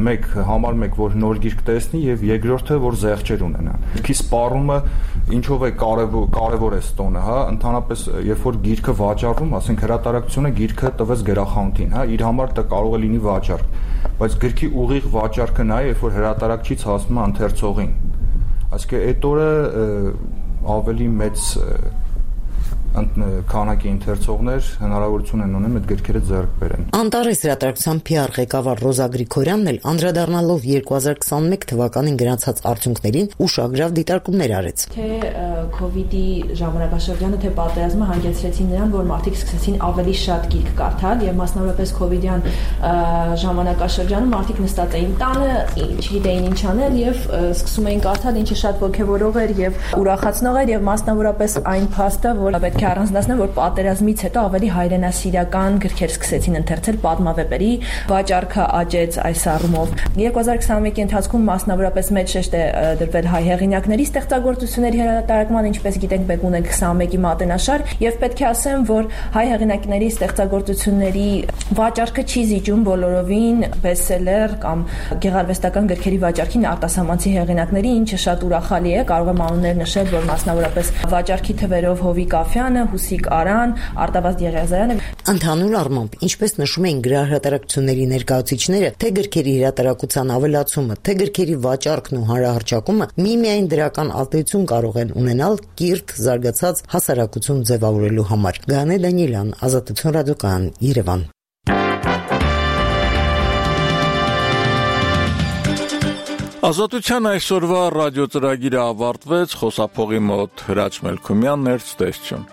S20: Մեկ, որ նոր գիրք տեսնի եւ երկրորդը, որ զեղչեր ունենա։ Գիրքի սպառումը Ինչով է կարևոր է տոնը, հա, ընդհանրապես երբ որ գիրքը վաճառվում, ասենք հրատարակությունը գիրքը տվեց գրախանութին, հա, իր համար դա կարող է լինի վաճառք, բայց գրքի ուղիղ վաճառքը նա է, երբ որ հրատարակչից հասնում է ընթերցողին։ Այսինքն այդ օրը ավելի մեծ քանակի ընթերցողներ հնարավորություն են ունենում այդ գրքերը ձեռք բերեն։
S11: Անտարես հրատարակության PR ղեկավար Ռոզա Գրիգորյանն էլ անդրադառնալով 2021 թվականին գրանցած արդյունքներին ուշագրավ դիտարկումներ արեց։
S3: Թե COVID-ի ժամանակաշրջանը, թե պատերազմը հանգեցրեցին նրան, որ մարդիկ սկսեցին ավելի շատ գիրք կարդալ եւ մասնավորապես COVID-յան ժամանակաշրջանում մարդիկ նստած էին տանը, չգիտեին ինչ անել եւ սկսում էին կարդալ, ինչը շատ ոգևորող էր եւ ուրախացնող էր եւ մասնավորապես այն փաստը, որ պետք է առանձնացնել, որ պատերազմից հետո ավելի հայրենասիրական գրքեր սկսեցին ընթերցել, պատմավեպերի վաճառքը աճեց այս առումով։ 2021-ի ընթացքում մասնավորապես մեծ շեշտ է դրվել հայ հեղինակների ստեղծագործությունների հրատարակման, ինչպես գիտենք, մեկ ունենք 21-ի մատենաշար, եւ պետք է ասեմ, որ հայ հեղինակների ստեղծագործությունների վաճառքը չի զիջում բոլորովին բեսթսելեր կամ գեղարվեստական գրքերի վաճառքին արտասահմանցի հեղինակների, ինչը շատ ուրախալի է։ Կարող եմ անուններ նշել, որ մասնավորապես վաճառքի թվերով Հովիկ Աֆյանը, Հուսիկ Արան, Արտավազդ Եղիազարյանը։
S11: Ընդհանուր առմամբ, ինչպես նշում էին գրահրատարակությունների ներկայացուցիչները, թե գրքերի հրատարակության ավելացումը, թե գրքերի վաճառքն ու հանրահռչակումը միմիայն դրական ազդեցություն կարող են ունենալ կիրթ զարգացած հասարակություն ձևավորելու համար։ Գանե Դանիելյան, Ազատություն ռադիոկայան, Երևան։
S1: Ազատության այսօրվա ռադիոծրագիրը ավարտվեց, խոսափողի մոտ Հրաչ Մելքումյանն էր, ցտեսություն։